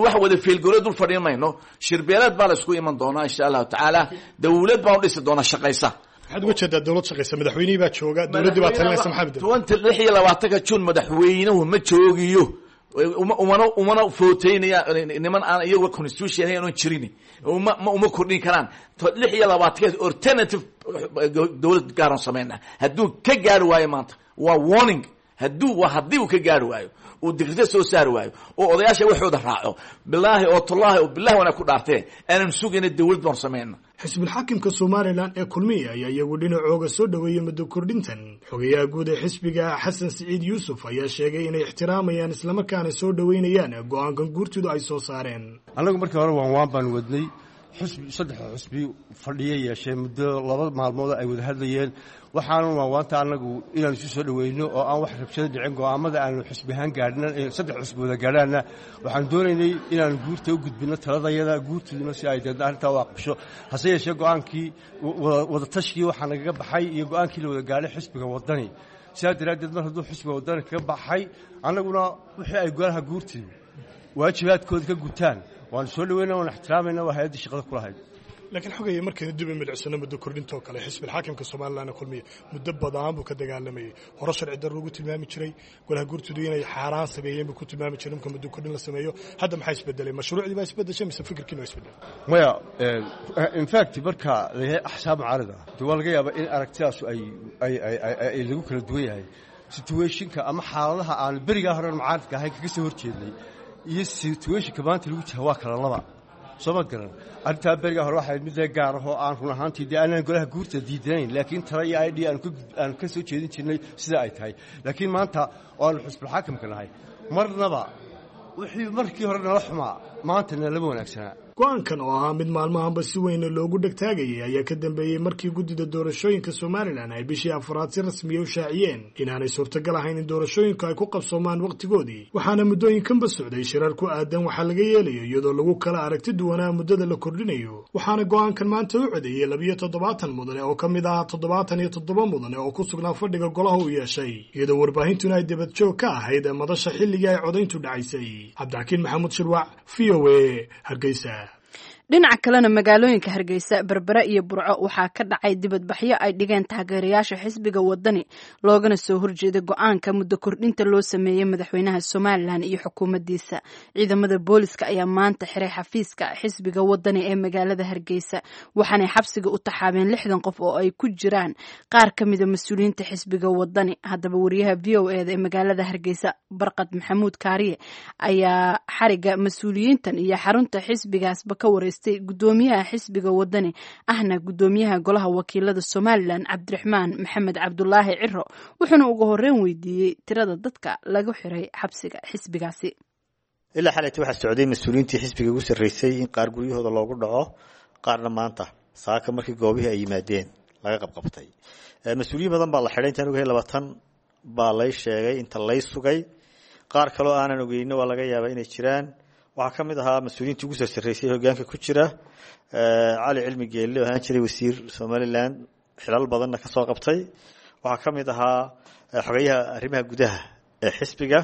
Wax wada failgaroo dul fadhiin mayno. Shirbeeleed baa la isku iman doonaa insha Allahu tacaala, dowlad baan u dhisi doonaa shaqaysa. Maxaad uga jeedaa dowlad shaqaysa? Madaxweynihii baa jooga, dowladdii baa talinaysa, maxaa bedel? Tobanka lix iyo labaatanka Juun madaxweynuhu ma joogiyo, uma umana umana footeynaya niman aan iyagu constitution ahayn oon jirin, uma ma uma kordhin karaan. Lix iyo labaatanka alternative dowlad gaaran sameynaa hadduu ka gaari waayo maanta waa warning. Hadduu waa haddii uu ka gaari waayo, uu dikrito soo saari waayo oo odayaasha waxooda raaco, bilaahi oo tullaahi oo bilahi wana ku dhaartee aanan sugayna dowlad baanu samayna. Xisbulxaakimka Somalilan ee Kulmiye ayaa iyagu dhinacooga soo dhoweeyey muddo kordhintan. Xogayaha guud ee xisbiga, Xasan Siciid Yuusuf, ayaa sheegay inay ixtiraamayaan islamarkaana soo dhoweynayaan go-aankan guurtidu ay soo saareen. Annagu markii hore waan waan baanu wadnay. Xusbi saddexda xusbi fadhiya yeeshee muddo laba maalmood ay wada hadlayeen. Waxaanu waanwaanta annagu inaanu isu soo dhoweyno oo aan wax rabshado dhicin, go'aamada aanu xusbi ahaan gaadhna, saddex xusbi wada gaadhaanna, waxaanu doonaynay inaanu guurta u gudbinno taladayada, guurtiduna si ay deedna arrintaa u aqbasho. Hase yeeshee go'aankii wadatashigai waxaa nagaga baxay iyo go'aankii la wada gaadhay xisbiga Waddani. Sidaa daraaddeed mar hadduu xisbiga Waddani kaga baxay, annaguna wixii ay golaha guurtidu waajibaadkooda ka gutaan waanu soo dhaweyna, waanu ixtiraamayna, waa hay-addii shaqada ku lahayd. Laakiin xogaya, markaynu dib u milicsano muddo kordhintoo kale, xisbilxaakimka Somalilan Kulmiye muddo badan buu ka dagaalamayay. Hore sharci darro ugu tilmaami jiray, golaha guurtidu inay xaaraan sameeyeen buu ku tilmaami jiray marka muddo kordhin la sameeyo. Hadda maxaa isbedelay? Mashruucdii baa isbedeshay mise fikirkiina waa isbedelay? Maya, in fact marka layahay axsaab mucaarid ah de waa laga yaabaa in aragtidaasu ay ay ay lagu kala duwan yahay. Situationka ama xaaladaha aanu berigaa hore mucaaridka ahayn kaga soo horjeednay Iyo situationka maanta lagu jira waa kala laba, soo ma garan? Arrintaa beriga hore waxay mid gaar ah oo aan run ahaantii dee aanan golaha guurta diidanayn, laakiin tala iyo idea aanu ka soo jeedin jirnay sida ay tahay. Laakiin maanta oo aanu xusbul xaakamka nahay, marnaba wixii markii hore nala xumaa maanta nalama wanaagsanaa. Go-aankan oo ahaa mid maalmahanba si weyn loogu dhegtaagayay ayaa ka dambeeyey markii guddida doorashooyinka Somalilan ay bishii afraad si rasmiya u shaaciyeen inaanay suurtagal ahayn in doorashooyinku ay ku qabsoomaan wakhtigoodii. Waxaana muddooyinkanba socday shirar ku aadan waxaa laga yeelayo, iyadoo lagu kala aragti duwanaa muddada la kordhinayo. Waxaana go-aankan maanta u codeeyey labiyo toddobaatan mudane oo ka mid ah toddobaatan iyo toddoba mudane oo ku sugnaa fadhiga golaha uu yeeshay, iyadoo warbaahintuna ay debadjoog ka ahayd madasha xilligii ay codayntu dhacaysay. Cabdixakiin Maxamuud Shirwac, V O A, Hargeysa. Dhinaca kalena, magaalooyinka Hargeysa, Berbera iyo Burco waxaa ka dhacay dibadbaxyo ay dhigeen taageerayaasha xisbiga Wadani, loogana soo horjeeday go-aanka muddo kordhinta loo sameeyey madaxweynaha Somalilan iyo xukuumaddiisa. Ciidamada booliska ayaa maanta xiray xafiiska xisbiga Wadani ee magaalada Hargeysa, waxaanay xabsiga u taxaabeen lixdan qof oo ay ku jiraan qaar ka mida mas-uuliyiinta xisbiga Wadani. Haddaba, wariyaha V O eda ee magaalada Hargeysa, Barqad Maxamuud Kaariye, ayaa xariga mas-uuliyiintan iyo xarunta xisbigaasba ka wareystay gudoomiyaha xisbiga Wadani ahna gudoomiyaha golaha wakiilada Somalilan, Cabdiraxmaan Maxamed Cabdulaahi Ciro, wuxuuna ugu horeyn weydiiyey tirada dadka lagu xiray xabsiga xisbigaasi. Ilaa xalayta waxaa socday mas-uuliyiintii xisbiga ugu sarreysay in qaar guryahooda loogu dhaco, qaarna maanta saaka markii goobihii ay yimaadeen laga qabqabtay. Mas-uuliyiin badan baa la xidhay, intaan ogahay labaatan baa lay sheegay inta lay sugay. Qaar kaloo aanan ogeyno waa laga yaabaa inay jiraan. Waxaa ka mid ahaa mas-uuliyiintii ugu sarsareysay hogaanka ku jira Cali Cilmi Geelle oo ahaan jiray wasiir Somaliland, xilal badanna ka soo qabtay. Waxaa ka mid ahaa xogeyaha arrimaha gudaha ee xisbiga.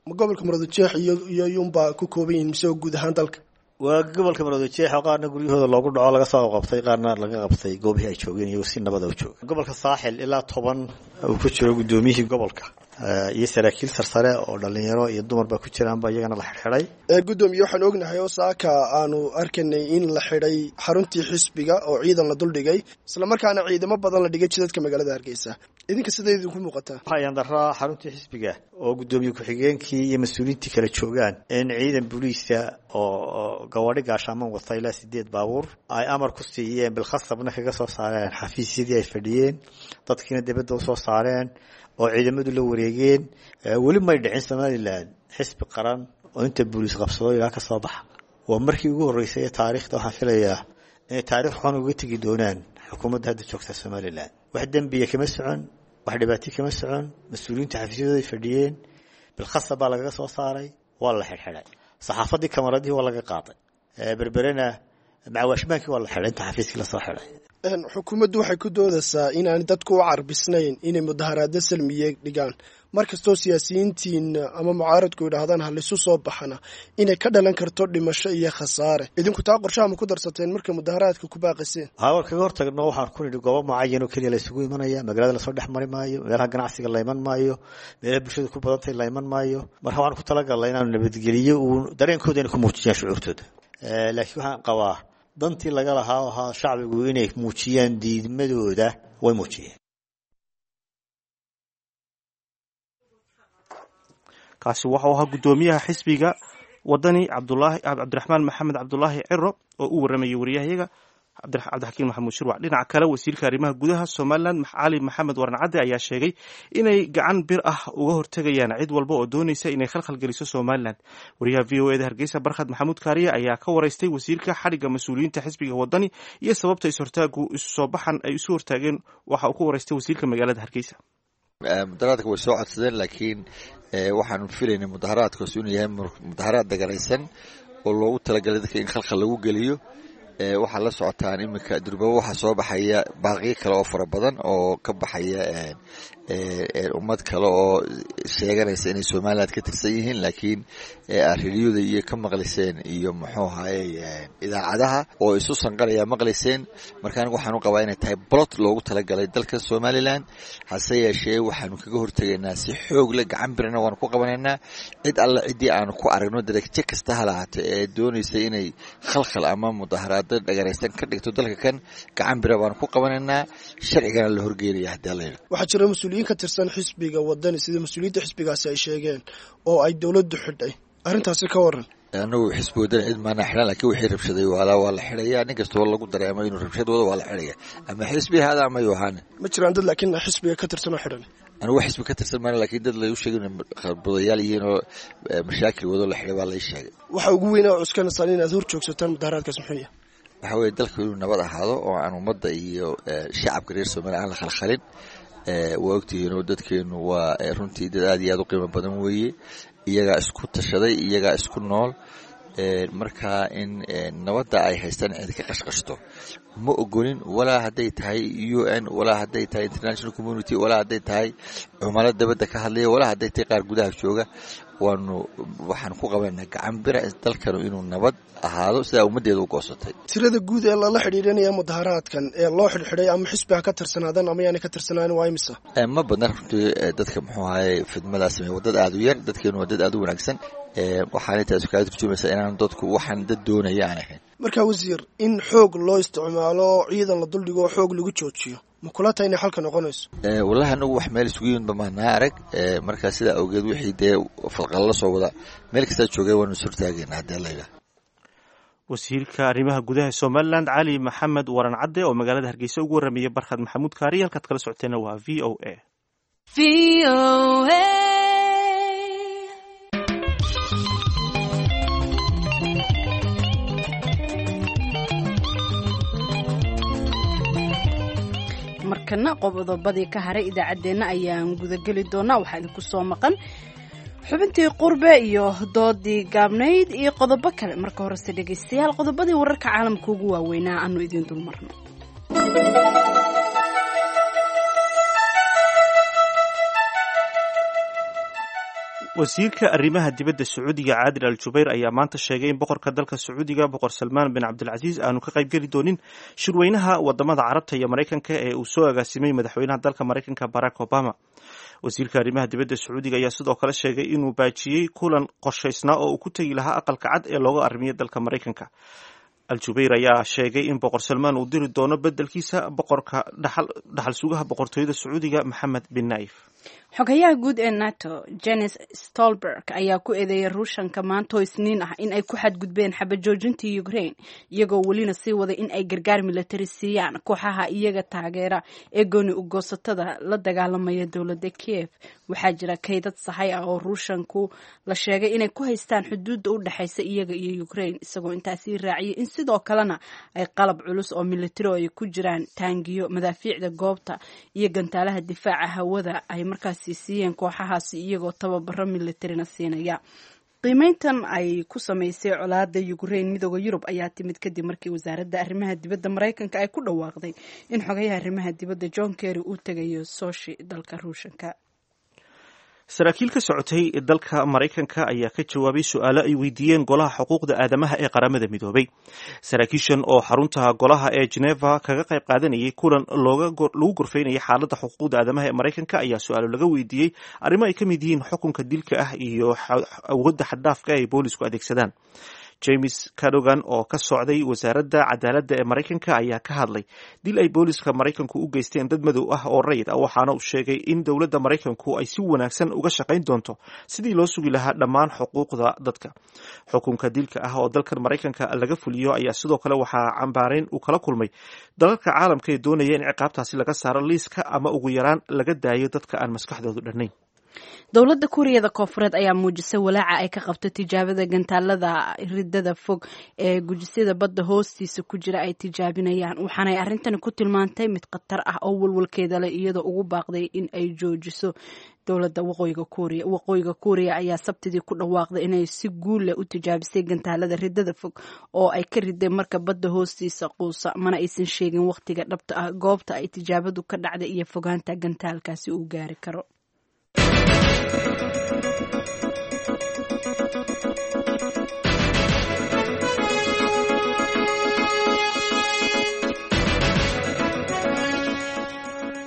Ma gobolka Maroodijeex iyo iyo yunbaa ku kooban yihiin mise guud ahaan dalka? Waa gobolka Maroodijeex oo qaarna guryahooda loogu dhaco laga soo qabtay, qaarna laga qabtay goobihii ay joogeen iyagoo si nabada u jooga. Gobolka Saaxil ilaa toban uu ku jiro guddoomiyihii gobolka iyo saraakiil sarsare oo dhalinyaro iyo dumarba ku jiraanba iyagana la xidhxidhay. Gudoomiye, waxaan ognahay oo saaka aanu arkanay in la xidhay xaruntii xisbiga oo ciidan la duldhigay, islamarkaana ciidamo badan la dhigay jidadka magaalada Hargeysa. Idinka siday idinku muuqataa? Waxaa yandaraa xaruntii xisbiga oo guddoomiye ku-xigeenkii iyo mas-uuliyiintii kala joogaan in ciidan booliisa oo gawaadhi gaashaaman wata ilaa sideed baabuur ay amar ku siiyeen, bilkhasabna kaga soo saareen xafiisyadii ay fadhiyeen, dadkiina dibadda usoo saareen oo ciidamadu la wareegeen. Weli may dhicin Somalilan xisbi qaran oo inta booliis qabsado ilaa ka soo baxa. Waa markii ugu horreysay ee taariikhda. Waxaan filayaa inay taarikh xun uga tegi doonaan xukuumadda hadda joogta Somalilan. Wax dembiya kama socon, wax dhibaato kama socon. Mas-uuliyiinta xafiisyadooday fadhiyeen bilkhasab baa lagaga soo saaray, waa la xidhxidhay. Saxaafaddii kamaradihii waa laga qaaday. Berberena macawaashmaankii waa la xidhay inta xafiiskii lasoo xidhay. Xukuumaddu waxay ku doodaysaa inaan dadku u carbisnayn inay mudaharaadyo salmiye dhigaan. Mar kastoo siyaasiyiintiina ama mucaaradku yidhaahdaan halisu soo baxana, inay ka dhalan karto dhimasho iyo khasaare. Idinku taa qorshaha ma ku darsateen markay mudaharaadka ku baaqiseen? Hawa kaga hortagno. Waxaan ku nidhi goobo mucayan oo keliya la isugu imanaya, magaalada lasoo dhex mari maayo, meelaha ganacsiga la iman maayo, meelaha bulshada ku badantay la iman maayo. Marka waxaan ku talagalnay inaanu nabadgeliyo uu dareenkooda inay ku muujiyaan shucuurtooda. Laakiin waxaan qabaa dantii laga lahaa oo ahaa shacbigu inay muujiyaan diidmadooda way muujiyeen. Kaasi waxau ahaa guddoomiyaha xisbiga Wadani, Cabdulaahi Cabdiraxmaan Maxamed Cabdulaahi Ciro, oo u waramayay wariyahayaga Cabdixakiin Maxamuud Shirwac. Dhinaca kale, wasiirka arrimaha gudaha Somalilan, Cali Maxamed Waran Cadde, ayaa sheegay inay gacan bir ah uga hortegayaan cid walba oo doonaysa inay khalkhal geliso Somalilan. Wariyaha V O eda Hargeysa, Barkhad Maxamuud Kaariye, ayaa ka waraystay wasiirka xadhigga mas-uuliyiinta xisbiga Wadani iyo sababta is-hortaagu isu soo baxan ay isu hortaageen. Waxa uu ka waraystay wasiirka magaalada Hargeysa. Mudaharaadka way soo codsadeen, laakiin waxaanu filaynay mudaharaadkaas inuu yahay mudaharaad dagaraysan oo loogu talagalay dadka in khalkhal lagu geliyo. Waxaa la socotaan iminka durbaba waxaa soo baxaya baaqiyo kale oo fara badan oo ka baxaya ummad kale oo sheeganaysa inay Somaliland ka tirsan yihiin, laakiin ariniyada iyo ka maqliseen iyo muxuu ahaye idaacadaha oo isu sanqaraya maqliseen. Marka anigu waxaan u qabaa inay tahay blot loogu talagalay dalka Somaliland. Hase yeeshee, waxaanu kaga hortegaynaa si xoog leh, gacan birna waanu ku qabanaynaa cid alla ciddii aanu ku aragno darajo kasta ha lahaata ee doonaysa inay khalkhal ama mudaharaado dhagaraysan ka dhigto dalka kan. Gacan bira baanu ku qabanaynaa, sharcigana la horgeynaya haddii alla yidhahdo. Waxaa jira mas-uuliyiin ka tirsan xisbiga Wadani, sida mas-uuliyiinta xisbigaasi ay sheegeen, oo ay dowladdu xidhay. Arrintaasi ka waran. Anagu xisbi Wadani cid maana xidhan, laakiin wixii rabshaday waalaa waa la xidhayaa. Nin kastoo lagu dareemo inuu rabshad wado waa la xidhaya, ama xisbi hada ama yohane. Ma jiraan dad laakiin xisbiga ka tirsan oo xidhan? Anigu xisbi ka tirsan maana, laakiin dad lagu sheegay inay qarbudayaal yihiin oo mashaakil wado la xidhay baa la ii sheegay. Waxa ugu weyn oo cuskanaysaan inaad hor joogsataan mudaharaadkaas muxuu yahay? Waxa weeye dalku inuu nabad ahaado oo aan ummadda iyo shacabka reer Soomaaliya aan la khalkhalin. Waa ogtihiin oo dadkeenu waa runtii dad aad iyo aad u qiimo badan weeye, iyagaa isku tashaday, iyagaa isku nool. Marka in nabadda ay haystaan cid ka qashqashto ma ogolin, walaa hadday tahay U N, walaa hadday tahay international community, walaa hadday tahay cumalo dabadda ka hadlaya, walaa hadday tahay qaar gudaha jooga. Waanu waxaan ku qabanaa gacan bira dalkanu inuu nabad ahaado sidaa ummaddeeda u goosatay. Tirada guud ee lala xidhiidhanaya mudaharaadkan ee loo xidhxidhay ama xisbi ha ka tirsanaadaan ama yaanay ka tirsanaan waa imisa? Ma badna runtii dadka muxuu ahaye fidmadaa sameeye, waa dad aada u yar. Dadkeenu waa dad aada u wanaagsan. Waxaana taas kaga turjumaysaa inaan dadku waxaan dad doonaya aan ahayn. Marka wasiir, in xoog loo isticmaalo, ciidan la duldhigo oo xoog lagu joojiyo, ma kula tahay inay xalka noqonayso? Wallahi anagu wax meel isugu yimid bamaanaa arag. Marka sidaa awgeed wixii dee falqala la soo wada meel kastaa joogay waanu is hortaagayna haddii la yidhaah. Wasiirka arrimaha gudaha Somaliland Cali Maxamed Waran Cadde oo magaalada Hargeysa ugu warramayay Barkhad Maxamuud Kaari. Halkaad kala socoteena waa V O A. Markana qodobadii ka haray idaacaddeenna ayaan gudageli doonaa. Waxaa idinku soo maqan xubintii qurbe iyo doodii gaabnayd iyo qodobo kale. Marka horese dhegaystayaal, qodobadii wararka caalamka ugu waaweynaa aanu idiin dulmarno. Wasiirka arrimaha dibadda Sacuudiga Caadil Al Jubayr ayaa maanta sheegay in boqorka dalka Sacuudiga, Boqor Salmaan bin Cabdilcasiis, aanu ka qaybgeli doonin shirweynaha wadamada Carabta iyo Maraykanka ee uu soo agaasimay madaxweynaha dalka Maraykanka Barack Obama. Wasiirka arrimaha dibadda Sacuudiga ayaa sidoo kale sheegay inuu baajiyey kulan qorshaysnaa oo uu ku tegi lahaa Aqalka Cad ee looga arrimiyo dalka Maraykanka. Al-Jubayr ayaa sheegay in Boqor Salmaan uu diri doono bedelkiisa boqorka dhaxal sugaha boqortooyada Sacuudiga Maxamed bin Naif. Xogayaha guud ee NATO Jens Stolberg ayaa ku eedeeyay Ruushanka maantoo Isniin ah in ay ku xadgudbeen xabajoojintii Ukraine, iyagoo welina sii waday in ay gargaar militari siiyaan kooxaha iyaga taageera ee gooni ugoosatada la dagaalamaya dowladda Kiev. Waxaa jira kaydad sahay ah oo Ruushanku la sheegay inay ku haystaan xuduudda u dhexaysa iyaga iyo Ukraine, isagoo intaasii raaciyay in sidoo kalena ay qalab culus oo militari oo ay ku jiraan taangiyo, madaafiicda goobta iyo gantaalaha difaaca hawada ay markaasi siiyeen kooxahaasi, iyagoo tababaro militarina siinaya. Qiimeyntan ay ku samaysay colaada Ukraine Midooda Yurub ayaa timid kadib markii wasaaradda arrimaha dibadda Maraykanka ay ku dhawaaqday in xogayaha arrimaha dibadda John Kerry uu tegayo Soshi dalka Ruushanka. Saraakiil ka socotay dalka Maraykanka ayaa ka jawaabay su-aalo ay weydiiyeen golaha xuquuqda aadamaha ee Qaramada Midoobay. Saraakiishan oo xarunta golaha ee Geneva kaga qayb qaadanayay kulan lagu gorfeynayay xaaladda xuquuqda aadamaha ee Maraykanka ayaa su-aalo laga weydiiyey arrimo ay ka mid yihiin xukunka dilka ah iyo awoodda xaddaafka ay boolisku adeegsadaan. James Cadogan oo ka socday wasaaradda cadaaladda ee Maraykanka ayaa ka hadlay dil ay booliska Maraykanku u geysteen dad madow ah oo rayid ah, waxaana uu sheegay in dowladda Maraykanku ay si wanaagsan uga shaqayn doonto sidii loo sugi lahaa dhammaan xuquuqda dadka. Xukunka dilka ah oo dalkan Maraykanka laga fuliyo ayaa sidoo kale waxaa cambaareyn uu kala kulmay dalalka caalamka ee doonaya in ciqaabtaasi laga saaro liiska ama ugu yaraan laga daayo dadka aan maskaxdoodu dhannayn. Dowladda Kuuriyada Koonfureed ayaa muujisay walaaca ay ka qabto tijaabada gantaalada ridada fog ee gujisyada badda hoostiisa ku jira ay tijaabinayaan, waxaanay arrintani ku tilmaantay mid khatar ah oo walwalkeeda leh, iyadoo ugu baaqday in ay joojiso dowladda Waqooyiga Kuuriya. Waqooyiga Kuuriya ayaa Sabtidii ku dhawaaqday inay si guul leh u tijaabisay gantaalada ridada fog oo ay ka riday marka badda hoostiisa quusa, mana aysan sheegin waqtiga dhabta ah, goobta ay tijaabadu ka dhacday iyo fogaanta gantaalkaasi uu gaari karo.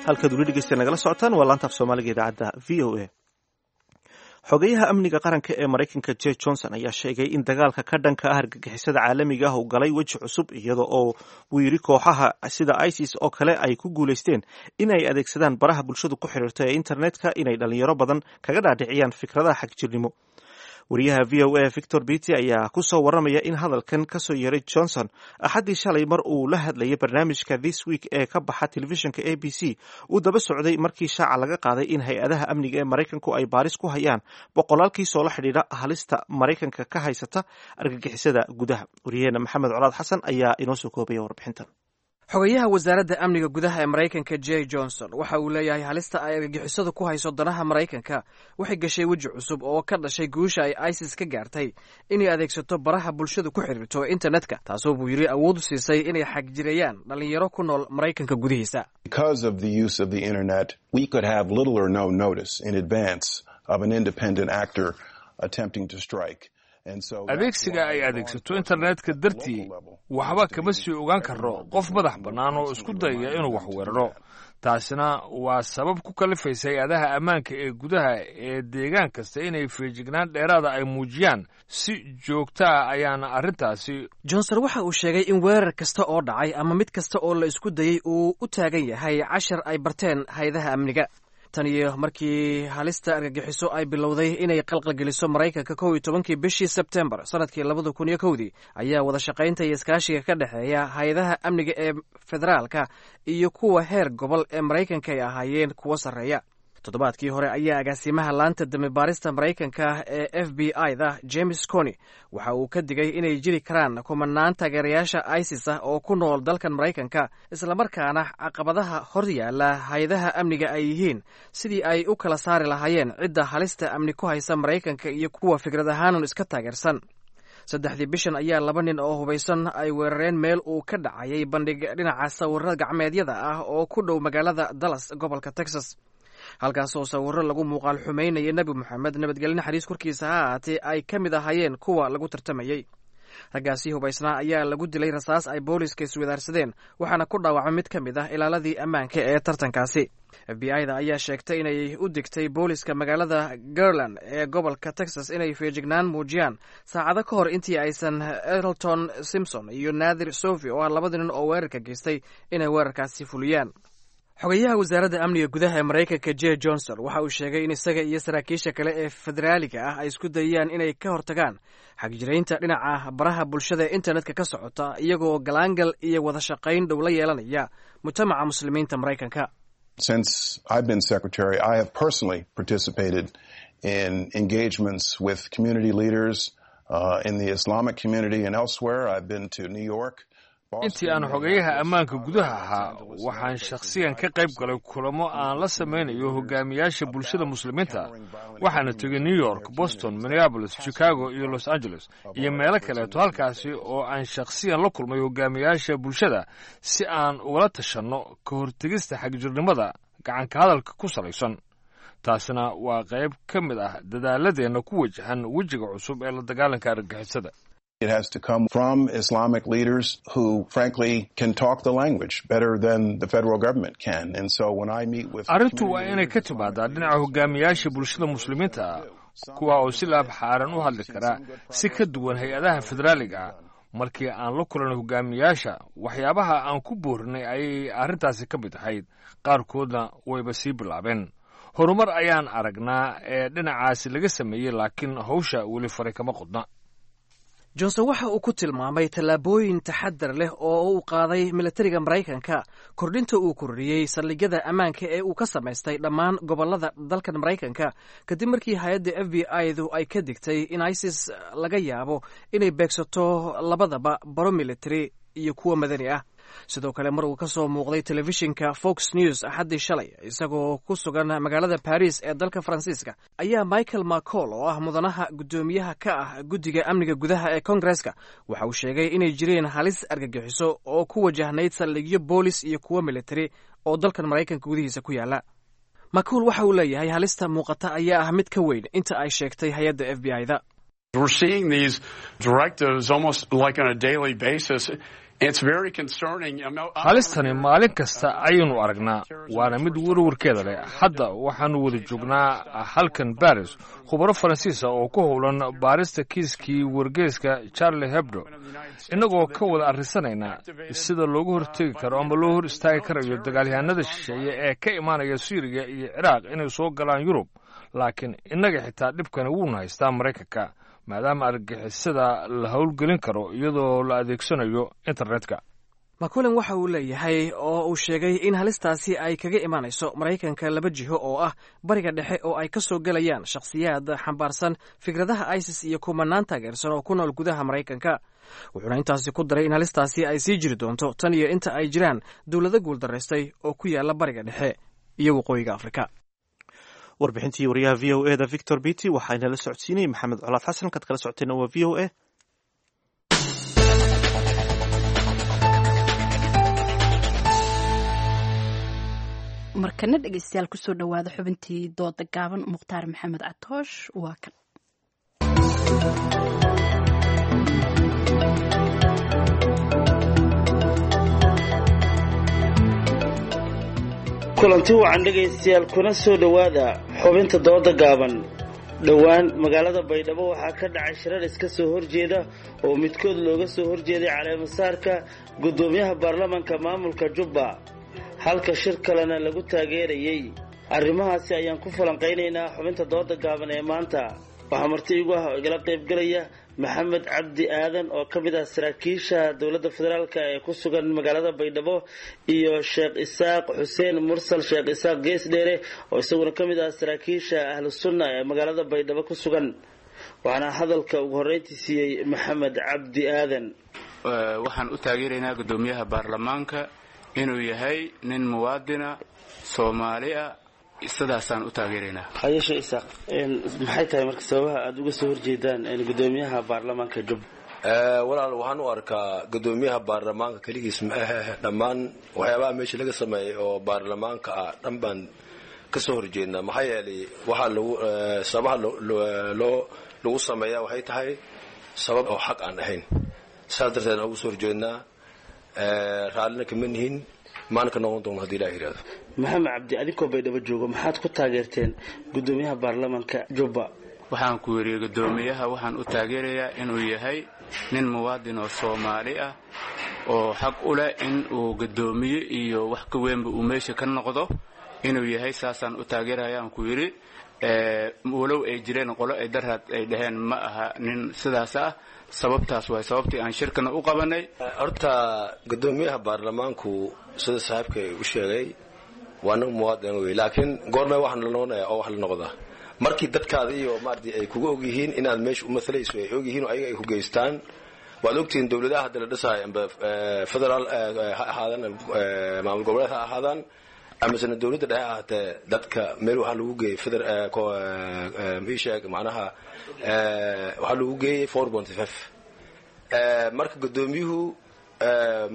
Halkaad weli dhegeysta nagala socotaan waa laanta af Soomaaliga idaacadda V O A. Xogeyaha amniga qaranka ee Maraykanka J Johnson ayaa sheegay in dagaalka ka dhanka ah argagixisada caalamiga ah uu galay weji cusub, iyada oo uu yidhi kooxaha sida ISIS oo kale ay ku guulaysteen in ay adeegsadaan baraha bulshadu ku xiriirta ee internetka inay dhalinyaro badan kaga dhaadhiciyaan fikradaha xagjirnimo. Wariyaha V O A Victor Beattie ayaa kusoo waramaya in hadalkan kasoo yeeray Johnson Axaddii shalay mar uu la hadlayay barnaamijka This Week ee ka baxa telefishinka A B C uu daba socday markii shaaca laga qaaday in hay-adaha amniga ee Maraykanku ay baaris ku hayaan boqolaal kiis oo la xidhiidha halista Maraykanka ka haysata argagixisada gudaha. Wariyaheena Maxamed Colaad Xasan ayaa inoo soo koobaya warbixintan. Xogayaha wasaaradda amniga gudaha ee Maraykanka Jeh Johnson waxa uu leeyahay halista ay argagixisadu ku hayso danaha Maraykanka waxay gashay weji cusub oo ka dhashay guusha ay ISIS ka gaartay inay adeegsato baraha bulshadu ku xiriirto internetka, taasoo buu yidhi awood u siisay inay xagjireeyaan dhallinyaro ku nool Maraykanka gudihiisa. Because of the use of the internet, we could have little or no notice in advance of an independent actor attempting to strike. Adeegsiga ay adeegsato internetka dartii, waxba kama sii ogaan karro qof madax bannaan oo isku dayaya inuu wax weeraro. Taasina waa sabab ku kalifaysa hay-adaha ammaanka ee gudaha ee deegaan kasta inay feejignaan dheeraada ay muujiyaan. Si joogta ah ayaana arrintaasi Johnson waxa uu sheegay in weerar kasta oo dhacay ama mid kasta oo la isku dayey uu u taagan yahay cashar ay barteen hay-adaha amniga. Tan iyo markii halista argagixiso ay bilowday inay qalqalgeliso Maraykanka kow iyo tobankii bishii Sebtembar sanadkii labada kun iyo kowdii, ayaa wada shaqaynta iyo iskaashiga ka dhexeeya hay-adaha amniga ee federaalka iyo kuwa heer gobol ee Maraykanka ay ahaayeen kuwo sarreeya. Toddobaadkii hore ayaa agaasimaha laanta dambi baarista Maraykanka ee F B I da James Comey waxa uu ka digay inay jiri karaan kumanaan taageerayaasha ISIS ah oo ku nool dalkan Maraykanka, islamarkaana caqabadaha hor yaala hay-adaha amniga ay yihiin sidii ay u kala saari lahaayeen cidda halista amni ku haysa Maraykanka iyo kuwa fikrad ahaanun iska taageersan. Saddexdii bishan ayaa laba nin oo hubaysan ay weerareen meel uu ka dhacayay bandhig dhinaca sawirada gacmeedyada ah oo ku dhow magaalada Dallas, gobolka Texas, halkaas oo sawirro lagu muuqaal xumaynayay Nebi Moxamed, nabadgelyo naxariis korkiisa ha ahaatee, ay ka mid ahaayeen kuwa lagu tartamayey. Raggaasi hubaysnaa ayaa lagu dilay rasaas ay booliiska iswadaarsadeen, waxaana ku dhaawacmay mid ka mid ah ilaaladii ammaanka ee tartankaasi. F B I da ayaa sheegtay inay u digtay booliiska magaalada Garland ee gobolka Texas inay feejignaan muujiyaan saacado ka hor intii aysan Elton Simpson iyo Naadir Sofi, oo ah labada nin oo weerarka geystay, inay weerarkaasi fuliyaan. Xogayaha wasaaradda amniga gudaha ee Maraykanka Jeh Johnson waxa uu sheegay in isaga iyo saraakiisha kale ee federaaliga ah ay isku dayayaan inay ka hortagaan xagjiraynta dhinaca baraha bulshada ee internetka ka socota, iyagoo galaangal iyo wada shaqayn dhow la yeelanaya mujtamaca Muslimiinta Maraykanka. Since I've been secretary, I have personally participated in engagements with community leaders uh, in the Islamic community and elsewhere. I've been to New York. Intii aan xogayaha ammaanka gudaha ahaa, waxaan shakhsiyan ka qayb galay kulamo aan la samaynayo hogaamiyaasha bulshada Muslimiinta. Waxaana tegay New York, Boston, Minneapolis, Chicago iyo Los Angeles iyo meelo kaleeto, halkaasi oo aan shakhsiyan la kulmay hogaamiyaasha bulshada si aan ugala tashanno ka hortegista xagjirnimada gacanka hadalka ku salaysan. Taasina waa qayb ka mid ah dadaaladeenna ku wajahan wejiga cusub ee la dagaalanka argagixisada. It has to come from Islamic leaders who, frankly, can talk the language better than the federal government can. And so when I meet with Arrintu waa inay ka timaadaa dhinaca hogaamiyaasha bulshada Muslimiinta ah, kuwa oo si laab xaaran u hadli kara si ka duwan hay-adaha federaaliga ah. Markii aan la kulanay hogaamiyaasha, waxyaabaha aan ku boorinay ayay arrintaasi ka mid ahayd. Qaarkoodna wayba sii bilaabeen. Horumar ayaan aragnaa ee dhinacaasi laga sameeyey, laakiin hawsha weli faray kama qodna. Johnson waxa uu ku tilmaamay tallaabooyin taxadar leh oo uu qaaday militariga Maraykanka kordhinta uu kordhiyey saldhigyada ammaanka ee uu ka samaystay dhammaan gobollada dalkan Maraykanka, kadib markii hay-adda F B I du ay ka digtay in ISIS laga yaabo inay beegsato labadaba baro military iyo kuwa madani ah. Sidoo kale, mar uu ka soo muuqday telefishinka Fox News Axaddii shalay isagoo ku sugan magaalada Baris ee dalka Faransiiska, ayaa Michael McCaul, oo ah mudanaha guddoomiyaha ka ah guddiga amniga gudaha ee Kongareska, waxa uu sheegay inay jireen halis argagixiso oo ku wajahnayd saldhigyo boolis iyo kuwo military oo dalkan Maraykanka gudihiisa ku yaala. McCaul waxa uu leeyahay halista muuqata ayaa ah mid ka weyn inta ay sheegtay hay-adda F B I da. We're seeing these directives almost like on a daily basis. It's very concerning. Halistani maalin kasta ayaynu aragnaa, waana mid warwarkeeda leh. Hadda waxaanu wada joognaa halkan Baris khubaro Faransiisa oo ku howlan baarista kiiskii wargeyska Charlie Hebdo, innagoo ka wada arrisanaynaa sida loogu hortegi karo ama loo hor istaagi karayo dagaalyahanada shisheeye ee ka imaanaya Suuriya iyo Ciraaq inay soo galaan Yurub. Laakiin innaga xitaa dhibkani wuuna haystaa Maraykanka. maadaama argagixisada la howlgelin karo iyadoo la adeegsanayo internetka. Maculin waxa uu leeyahay oo uu sheegay in halistaasi ay kaga imaanayso Maraykanka laba jiho oo ah Bariga Dhexe oo ay ka soo gelayaan shakhsiyaad xambaarsan fikradaha ISIS iyo kumanaan taageersan oo ku nool gudaha Maraykanka. Wuxuuna intaasi ku daray in halistaasi ay sii jiri doonto tan iyo inta ay jiraan dowlado guuldaraystay oo ku yaala Bariga Dhexe iyo Waqooyiga Afrika. Warbixintii wariyaha V O E da Victor Beatty waxaa inala socodsiinayay Maxamed Colaad Xasan. Kaad kala socoteenna waa V O A. Markana dhegeystayaal, kusoo dhawaada xubintii dooda gaaban. Mukhtaar Maxamed Catoosh waa kan. Kulanti wacan dhegaystayaal, kuna soo dhowaada xubinta dooda gaaban. Dhowaan magaalada Baydhabo waxaa ka dhacay shirar iska soo horjeeda oo midkood looga soo horjeeday caleemasaarka guddoomiyaha baarlamanka maamulka Jubba, halka shir kalena lagu taageerayey. Arrimahaasi ayaan ku falanqaynaynaa xubinta dooda gaaban ee maanta. Waxaa marti igu ah oo igala qaybgalaya Maxamed Cabdi Aadan oo ka mid ah saraakiisha dowladda federaalk ee ku sugan magaalada Baydhabo, iyo Sheekh Isaaq Xuseen Mursal, Sheekh Isaaq Geesdheere, oo isaguna ka mid ah saraakiisha Ahlu Sunna ee magaalada Baydhabo ku sugan. Waxaana hadalka ugu horreyntii siiyey Maxamed Cabdi Aadan. Waxaan u taageeraynaa guddoomiyaha baarlamaanka inuu yahay nin muwaadina Soomaali ah, sidaasaan u taageeraynaa. Hayeshe Isaaq, maxay tahay marka sababaha aada uga soo horjeedaan guddoomiyaha baarlamaanka Jubba? Walaal, waxaan u arkaa guddoomiyaha baarlamaanka keligiis ma ahe, dhammaan waxyaabaha meesha laga sameeyay oo baarlamaanka ah dhan baan ka soo horjeednaa. Maxaa yeelay, waxaa lagu sababaha loo lagu sameeyaa waxay tahay sabab oo xaq aan ahayn. Saas darteed aan uga soo horjeednaa, raallina kama nihin, maana ka noqon doono hadii Ilaah yidhahdo. Maxamed Cabdi, adinkoo Baydhabo joogo, maxaad ku taageerteen guddoomiyaha baarlamaanka Jubba? Waxaan ku yidhi, guddoomiyaha waxaan u taageerayaa inuu yahay nin muwaadin oo Soomaali ah oo xaq u leh in uu guddoomiye iyo wax ka weynba uu meesha ka noqdo inuu yahay, saasaan u taageerayaan ku yidhi. Walow ay jireen qolo ay daraad ay dhaheen ma aha nin sidaas ah. Sababtaas waay sababtii aan shirkana u qabanay. Horta guddoomiyaha baarlamaanku, sida saaxiibkay u sheegay, waa nin muwaadin wey, laakiin goormee waxaan la noqonayaa oo wax la noqdaa markii dadkaada iyo maaragtay ay kuga og yihiin inaad meesha u mathalayso, ay og yihiin oo ayaga ay ku geystaan. Waad ogtihiin dowladaha hadda la dhisaayo, amba federaal ha ahaadaan, maamul goboleed ha ahaadaan, amasena dowladda dhexe ahaatee, dadka meel waxaa lagu geeyey feder sheeg macnaha waxaa lagu geeyey four point five. Marka guddoomiyuhu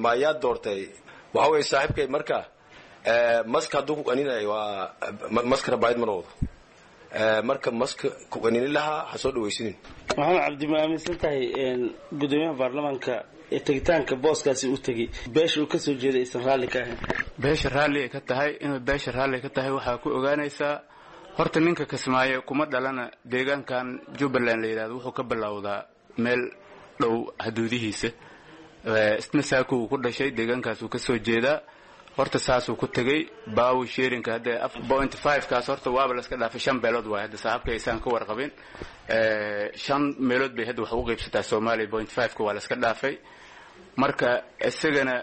maayaa doortay? Waxa weeye saaxiibkay, marka maska hadduu ku qaninayo, waa maska rabaayad ma noqdo. Marka maska ku qaninin lahaa ha soo dhaweysinin. Maxamed Cabdi, ma aaminsan tahay guddoomiyaha baarlamaanka ee tegitaanka booskaasi u tegey beesha uu kasoo jeeday aysan raalli ka ahayn? Beesha raalli ay ka tahay, inuu beesha raalli ka tahay waxaa ku ogaanaysaa, horta ninka Kismaayo kuma dhalana. Deegaankan Jubbaland la yidhahdo wuxuu ka bilowdaa meel dhow haduudihiisa. Isna saakuu ku dhashay, deegaankaasuu ka soo jeedaa. Horta saasuu ku tegey power sharingka hadda point five kaas horta waaba la iska dhaafay. Shan beelood waay hadda, saaxiibka aysaan ka warqabin. Shan meelood bay hadda wax ugu qaybsataa Soomaaliya. Point five-ka waa la iska dhaafay. Marka isagana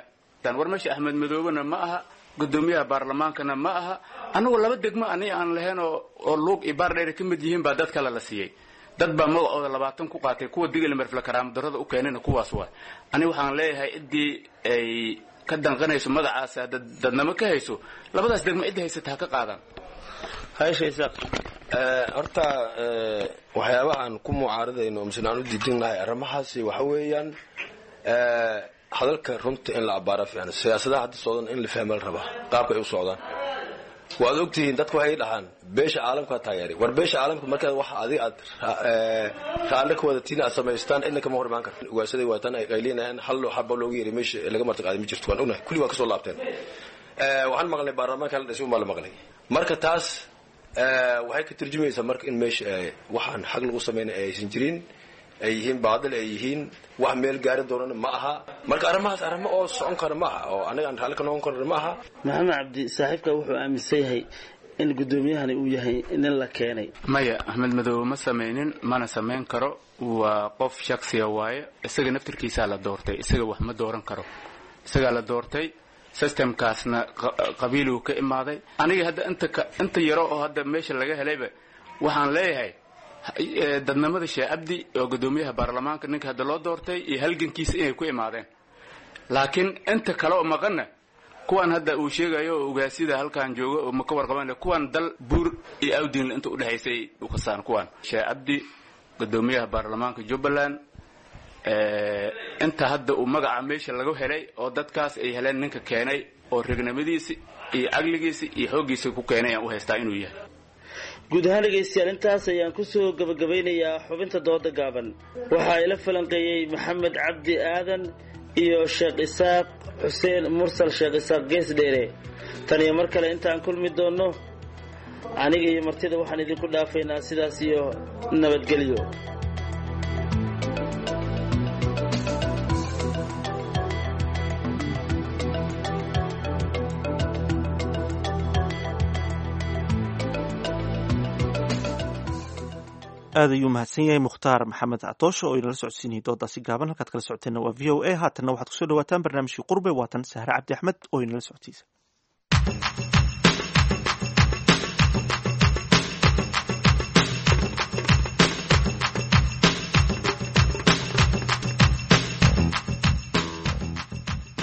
war meesha Axmed Madoobena ma aha, guddoomiyaha baarlamaankana ma aha. Annagu laba degmo ani aan lahayn oo oo Luuq iyo Baardheer ka mid yihiin baa dad kale la siiyey. Dad baa magacooda labaatan ku qaatay. Kuwa Digil Merfle karaamo darrada u keenayna kuwaas waay. Ani waxaan leeyahay, ciddii ay ka danqanayso magacaas dadnamo ka hayso, labadaas degmo cidda haysata ha ka qaadaan. Horta waxyaabaha aan ku mucaaradayno mise aan u diidinnahay arrimahaasi waxa weeyaan hadalka runta in la abaara fiican. Siyaasadaha hadda socdan in la fahma la rabaa, qaabka ay u socdaan. Waad ogtihiin, dadku waxay dhahaan beesha caalamka taageeray. War beesha caalamka markaad wax adiga aad raalli ka wadatiin aad samaystaan, cidna kama hor imaan karto. Ugaasaday waataan ay qaylinayaan, hal xaba loogu yeeray meesha laga marti qaaday ma jirto. Waan ognahay, kulli waa kasoo laabteen. Waxaan maqlay baarlamaanka la dhisay unbaa la maqlay. Marka taas waxay ka turjumaysaa marka in meesha waxaan xaq lagu samaynay aysan jirin, ay yihiin baadil, ay yihiin wax meel gaari doonana ma aha. Marka arrimahaas arrimo oo socon kara ma aha, oo anaga aan raalli ka noqon karna ma aha. Maxamed Cabdi, saaxiibka wuxuu aaminsan yahay In guddoomiyahani uu yahay nin la keenay? Maya, Axmed Madoobe ma samaynin, mana samayn karo. Waa qof shaksiya waaye. Isaga naftirkiisaa la doortay, isaga wax ma dooran karo, isagaa la doortay. Systemkaasna qabiiluu ka imaaday. Aniga hadda inta inta yaro oo hadda meesha laga helayba, waxaan leeyahay dadnimada Sheekh Cabdi oo guddoomiyaha baarlamaanka, ninka hadda loo doortay, iyo halgankiisa inay ku imaadeen. Laakiin inta kale oo maqanna, kuwan hadda uu sheegayo oo ugaasida halkan jooga oo ma ka warqaban, kuwan dal buur iyo awdiin inta udhexaysay u khasaan. Kuwan Sheekh Cabdi, guddoomiyaha baarlamaanka Jubbaland, inta hadda uu magaca meesha lagu helay oo dadkaas ay heleen, ninka keenay oo regnimadiisi iyo caqligiisi iyo xooggiisa ku keenay aan u haystaa inuu yahay. Guud ahaan, dhegaystayaal, intaas ayaan kusoo gabagabaynayaa xubinta dooda gaaban. Waxaa ila falanqeeyey Maxamed Cabdi Aadan iyo Sheekh Isaaq Xuseen Mursal, Sheekh Isaaq Gees Dheere. Tan iyo mar kale intaan kulmi doonno, aniga iyo martida waxaan idinku dhaafaynaa sidaas iyo nabadgelyo. Aad ayuu mahadsan yahay Mukhtaar Maxamed Catoosho oo inala socodsiinayay doodaasi gaaban. Halkaad kala socoteenna waa V O A. Haatanna waxaad kusoo dhawaataan barnaamijkii Qurbe. Waatan Sahre Cabdi Axmed oo inala socodsiisa.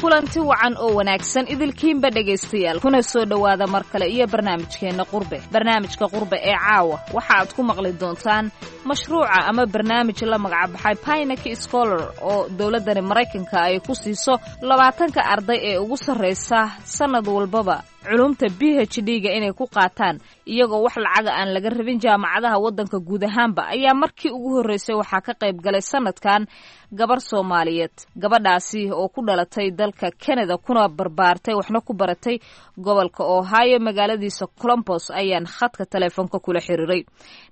Kulanti wacan oo wanaagsan idilkiinba, dhegaystayaal, kuna soo dhowaada mar kale iyo barnaamijkeenna Qurbe. Barnaamijka Qurbe ee caawa waxa aad ku maqli doontaan mashruuca ama barnaamij la magacbaxay Pinaki Scholar oo dowladdani Maraykanka ay ku siiso labaatanka arday ee ugu sarraysa sannad walbaba culumta P H D-ga inay ku qaataan, iyagoo wax lacaga aan laga rabin jaamacadaha waddanka guud ahaanba. Ayaa markii ugu horreysay waxaa ka qayb galay sanadkan gabar Soomaaliyeed, gabadhaasi oo ku dhalatay dalka Canada kuna barbaartay waxna ku baratay gobolka Ohio, magaaladiisa Columbus. Ayaan khadka taleefoonka kula xiriiray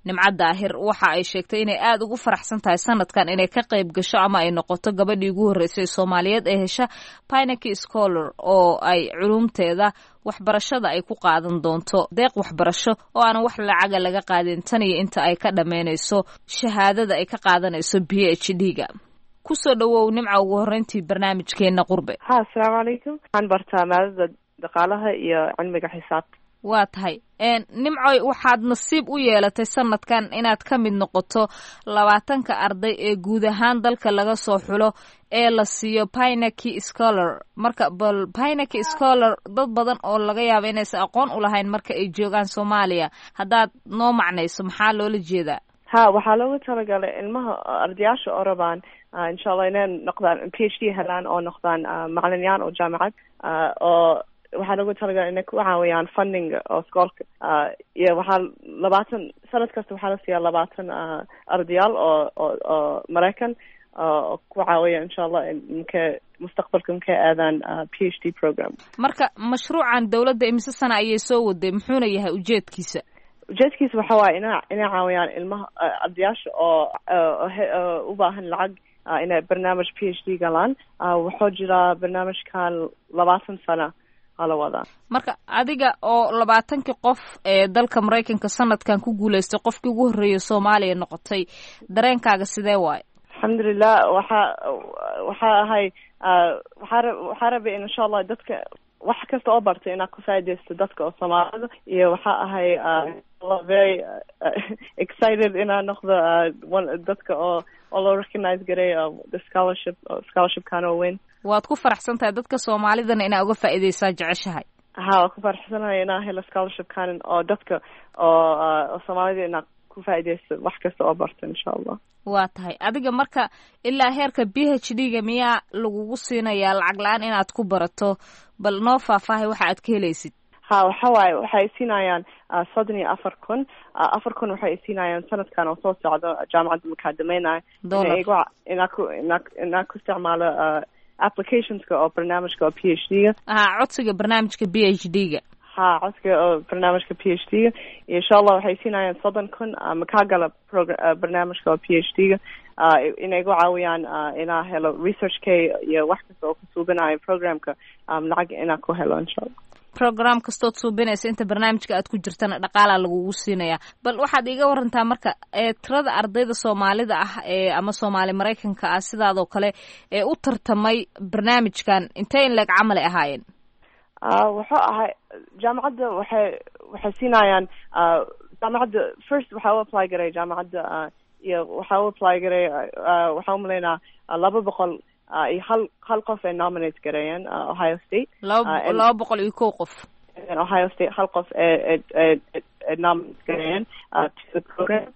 Nimco Daahir. Waxa ay sheegtay inay aada ugu faraxsan tahay sanadkan inay ka qayb gasho ama ay noqoto gabadhii ugu horreysay Soomaaliyeed ee hesha Pinaki Scholar oo ay culumteeda waxbarashada ay ku qaadan doonto deeq waxbarasho oo aanan wax lacaga laga qaadin tan iyo inta ay ka dhammaynayso shahaadada ay ka qaadanayso P H D-ga. Kusoo dhawow, Nimca, ugu horreyntii barnaamijkeena Qurbe. Ha, asalaamu calaykum. Waxaan bartaa maadada dhaqaalaha iyo cilmiga xisaabta. Waa tahay, Nimcoy, waxaad nasiib u yeelatay sanadkan inaad ka mid noqoto labaatanka arday ee guud ahaan dalka laga soo xulo ee la siiyo Pinaki Scholar. Marka bal Pinaki Scholar, dad badan oo laga yaabo inaysan aqoon u lahayn marka ay joogaan Soomaaliya, haddaad noo macnayso, maxaa loola jeedaa? Ha, waxaa loogu talagalay ilmaha ardayaasha oo rabaan, insha Allah, inay noqdaan P H D helaan oo noqdaan macalinyaan oo jaamacad, oo waxaa loogu talagalay inay ku caawiyaan funding oo iskoolka. Iyo waxaa labaatan sanad kasta waxaa la siiyaa labaatan ardayaal oo oo oo Maraykan oo ku caawiya, insha Allah, inkay mustaqbalka inkay aadaan P H D program. Marka mashruucan dowladda imise sana ayay soo waday, muxuuna yahay ujeedkiisa? Ujeedkiisa waxa waaye ina inay caawiyaan ilmaha ardayaasha oo oo u baahan lacag inay barnaamij P H D galaan. Wuxuu jiraa barnaamijkan labaatan sano ala wadaa. Marka adiga oo labaatankii qof ee dalka Maraykanka sanadkan ku guuleystay qofkii ugu horreeyay Soomaaliya noqotay, dareenkaaga sidee waaye? Alxamdulilah, waxa waxaa ahay waxaa waxaa rabay in insha Allah dadka wax kasta oo bartay inaa ku faaidaysto dadka oo Soomaalida, iyo waxaa ahay very excited inaa noqdo dadka oo oo loo recognize garay the scholarship scholarshipkan oo weyn. Waad ku faraxsan tahay, dadka Soomaalidana inaa uga faa'iidaysaa jeceshahay? Ha, waan ku faraxsanahay inaa helo scholarshipkan oo dadka oo oo Soomaalida inaa ku faaidaysto wax kasta oo barta, insha Allah. Waa tahay. Adiga marka ilaa heerka P H D-ga miyaa lagugu siinayaa lacag la-aan inaad ku barato? Bal noo faahfaahay waxa aad ka helaysid. Ha, waxa waaye waxay siinayaan soddon iyo afar kun afar kun waxay siinayaan sanadkan oo soo socdo jaamacadda markaa dhamaynayo, inaa ku inaa inaa ku isticmaalo applicationska oo barnaamijka oo P H D-ga. Ha, codsiga barnaamijka P H D-ga. Ha, codsiga oo barnaamijka P H D-ga. Iyo insha Allah waxay siinayaan soddon kun makaa gala barnaamijka oo P H D-ga, inay igu caawiyaan inaa helo research k iyo wax kasta oo ku suubinayo programka, lacag inaa ku helo, insha Allah. Program kastood suubinaysa inta barnaamijka aad ku jirtana dhaqaalaa lagugu siinaya. Bal waxaad iiga warantaa marka tirada ardayda soomaalida ah ee ama soomaali maraykanka ah sidaadoo kale ee u tartamay barnaamijkan, intee in leeg camal ay ahaayeen? Wuxuu ahay jaamacadda waxay waxay siinayaan jaamacadda first waxaa u apply garay jaamacadda iyo waxaa u apply garay, waxaa umalaynaa laba boqol iyo hal hal qof ay nominate gareeyeen Ohio State. Laba laba boqol iyo kow qof. Ohio State hal qof ee ee nominate gareeyeen to the program.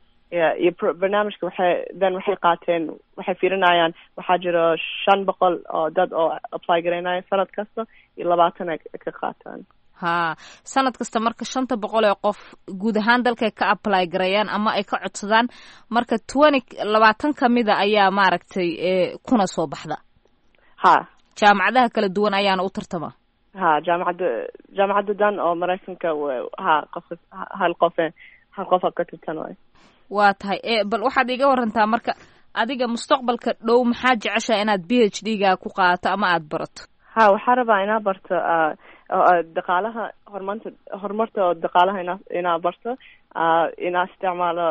Iyo barnaamijka waxay then waxay qaateen, waxay fiirinayaan waxaa jiro shan boqol oo dad oo apply garaynaya sanad kasta iyo labaatan ay ka qaataan. Ha, sanad kasta marka shanta boqol ee qof guud ahaan dalkay ka apply garayaan ama ay ka codsadaan, marka twenty labaatan kamida ayaa maaragtay kuna soo baxda. Ha, jaamacadaha kala duwan ayaana u tartama. Ha, jaamacadda jaamacadda dan oo maraykanka, ha, qof hal qof hal qof ka tartan. Waa tahay. Bal waxaad iiga warantaa marka adiga mustaqbalka dhow maxaa jeceshaha inaad P H D ga ku qaadato ama aada barato? Ha, waxaa rabaa inaa barto dhaqaalaha, horumarta horumarta oo dhaqaalaha inaa inaa barto, inaa isticmaalo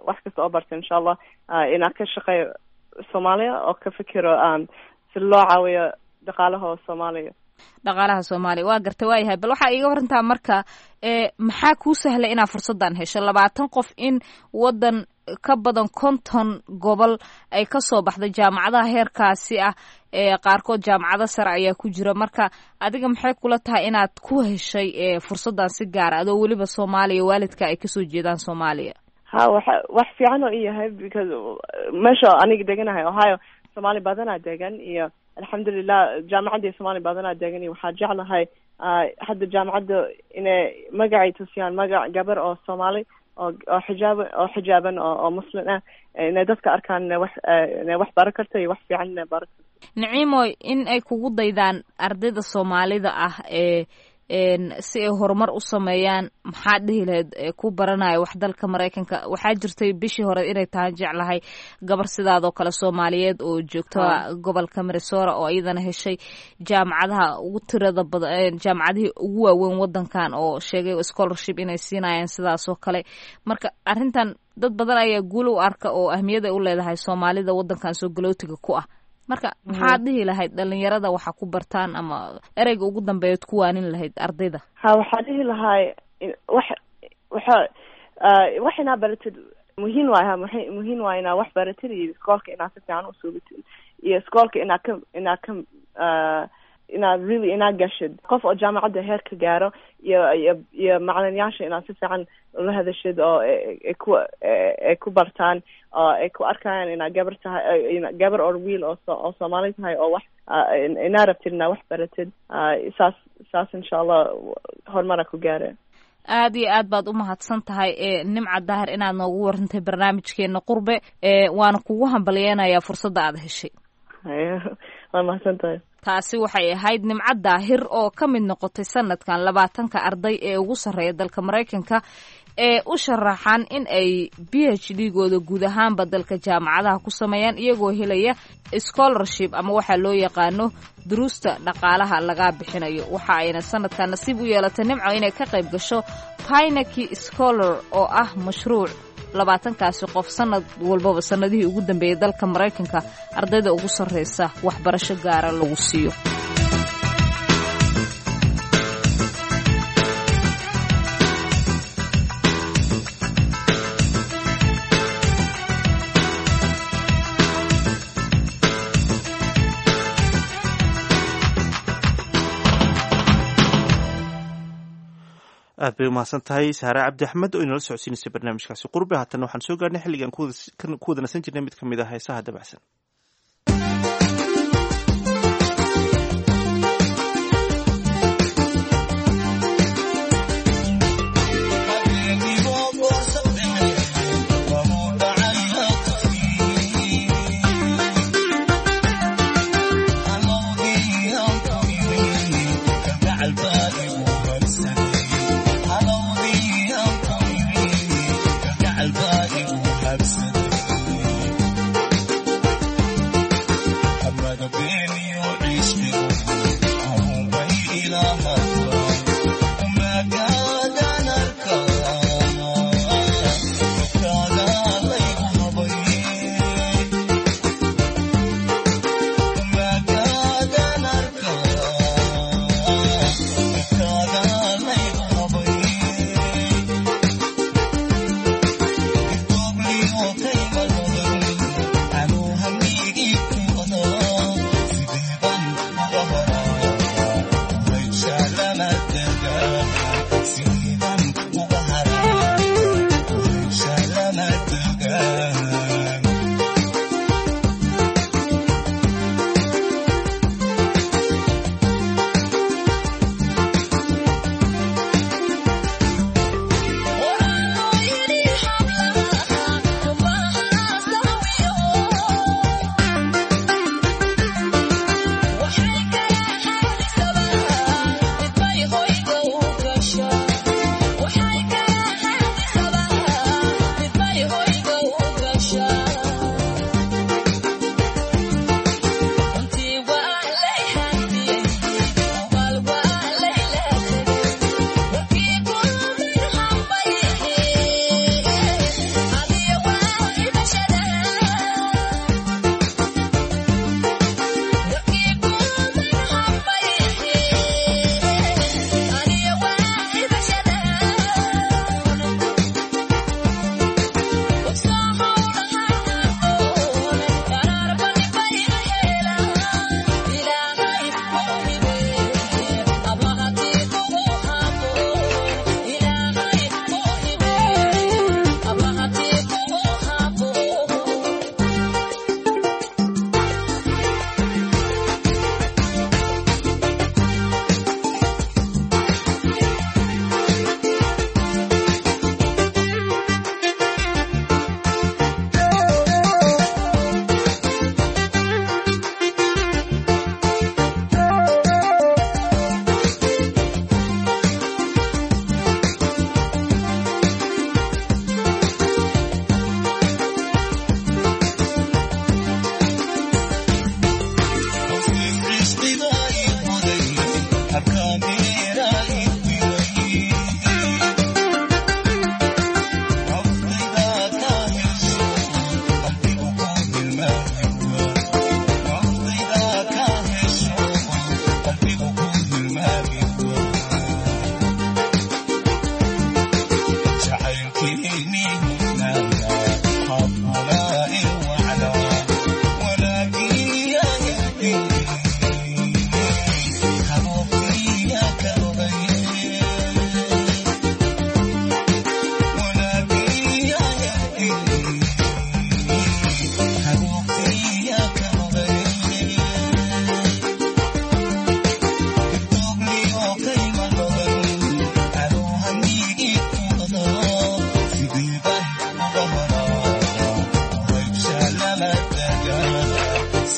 wax kasta oo barto insha Allah, inaa ka shaqeeyo Soomaaliya oo ka fikiro si loo caawiyo dhaqaalaha oo Soomaaliya. Dhaqaalaha Soomaaliya, waa garta. Waayahay, bal waxaa iiga warantaa marka maxaa kuu sahlay inaad fursaddan hesho, labaatan qof in waddan ka badan konton gobol ay kasoo baxday jaamacadaha heerkaasi ah, ee qaarkood jaamacado sare ayaa ku jira, marka adiga maxay kula tahay inaad ku heshay fursaddan si gaara adoo weliba Soomaaliya, waalidka ay kasoo jeedaan Soomaaliya? Ha, waxa wax fiican oo i yahay because meesha aniga deganahay Ohio Soomaali badanaa degan, iyo alxamdulilah jaamacaddii Soomaali badanaa degan, iyo waxaa jeclahay hadda jaamacadda inay magacay tusiyaan magac gabar oo Soomaali oo oo xijaab oo xijaaban oo oo muslim ah, inay dadka arkaan inay wax inay wax baran karto iyo wax fiican inay baran karto. Naciimoy, in ay kugu daydaan ardayda soomaalida ah ee si ay horumar u sameeyaan, maxaad dhihi lahayd ku baranaya wax dalka Maraykanka? Waxaa jirtay bishii hore inay tahay jeclahay gabar sidaadoo kale Soomaaliyeed oo joogta gobolka Minnesota oo iyadana heshay jaamacadaha ugu tirada badan, jaamacadihii ugu waaweyn wadankan, oo sheegay scholarship inay siinayaan sidaasoo kale. Marka arrintan dad badan ayaa guul u arka oo ahmiyad ay u leedahay soomaalida wadankan soo galootiga ku ah. Marka maxaad dhihi lahayd dhalinyarada waxa ku bartaan ama ereyga ugu dambeeyaad ku waanin lahayd ardayda? Ha, waxaa dhihi lahay wax waxa wax inaa baratid muhiim waay. Ha, muhiim waay inaa wax baratid iyo iskoolka inaa si fiican usuubatid iyo iskoolka inaa ka inaa ka inaa really inaa gashid qof oo jaamacadda heer ka gaaro, iyo iyo iyo macalinyaasha inaa si fiican ula hadashid oo ay ku ay ku bartaan oo ay ku arkayaan inaa gabar tahay, gabar or wiil oo oo Soomaali tahay oo wax inaa rabtid inaa wax baratid, saas saas insha Allah horumara ku gaara. Aad iyo aad baad u mahadsan tahay Nimca Daahir inaad noogu warantay barnaamijkeena Qurbe, waana kugu hambalyeenayaa fursadda aad heshay. Waa mahadsan tahay. Taasi waxay ahayd Nimco Daahir oo ka mid noqotay sanadkan labaatanka arday ee ugu sarreeya dalka Maraykanka ee u sharaxan in ay P H D gooda guud ahaanba dalka jaamacadaha ku sameeyaan, iyagoo helaya scholarship ama waxaa loo yaqaano duruusta dhaqaalaha laga bixinayo. Waxa ayna sanadkan nasiib u yeelatay Nimco inay ka qayb gasho Pinaki Scholar oo ah mashruuc labaatankaasi qof sanad walbaba sanadihii ugu dambeeyay dalka Maraykanka ardayda ugu sarreysa waxbarasho gaara lagu siiyo. Aad bay umahadsan tahay Saare Cabdi Axmed oo inala socodsiinaysay barnaamijkaasi Qurbe. Haatan waxaan soo gaarnay xilligan ku wada nasan jirnay mid ka mid ah heesaha dabacsan.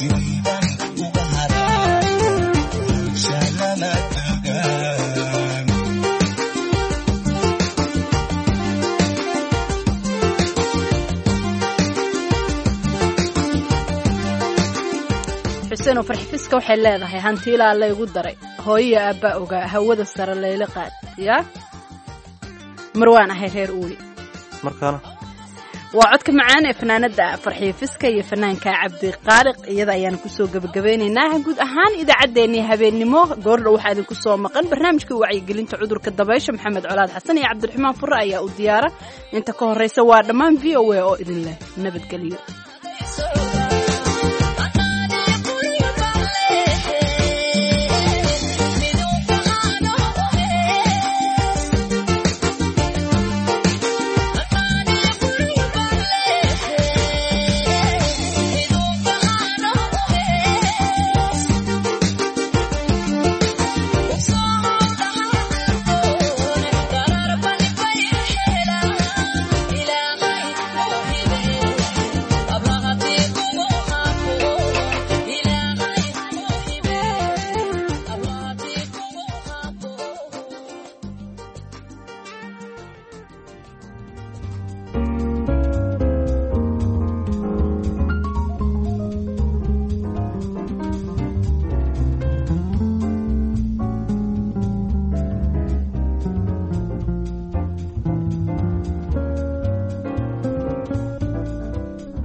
Sidaydan uga haraa shalama tagaan. Xuseen oo Farxifiska waxay leedahay hantiilaa laygu daray, hooyiya aabbaa ogaa, hawada sare layla qaad, yaa marwaan ahay reer uuli. Markaana waa codka macaan ee fanaanada Farxiifiska iyo fanaanka Cabdiqaaliq. Iyada ayaanu kusoo gebagabeynaynaa guud ahaan idaacaddeenii habeennimo. Goordhow waxaa idinku soo maqan barnaamijka wacyigelinta cudurka dabaysha. Maxamed Colaad Xasan iyo Cabdiraxmaan Fure ayaa u diyaara. Inta ka horreysa waa dhammaan V O A oo idin leh nabadgelyo.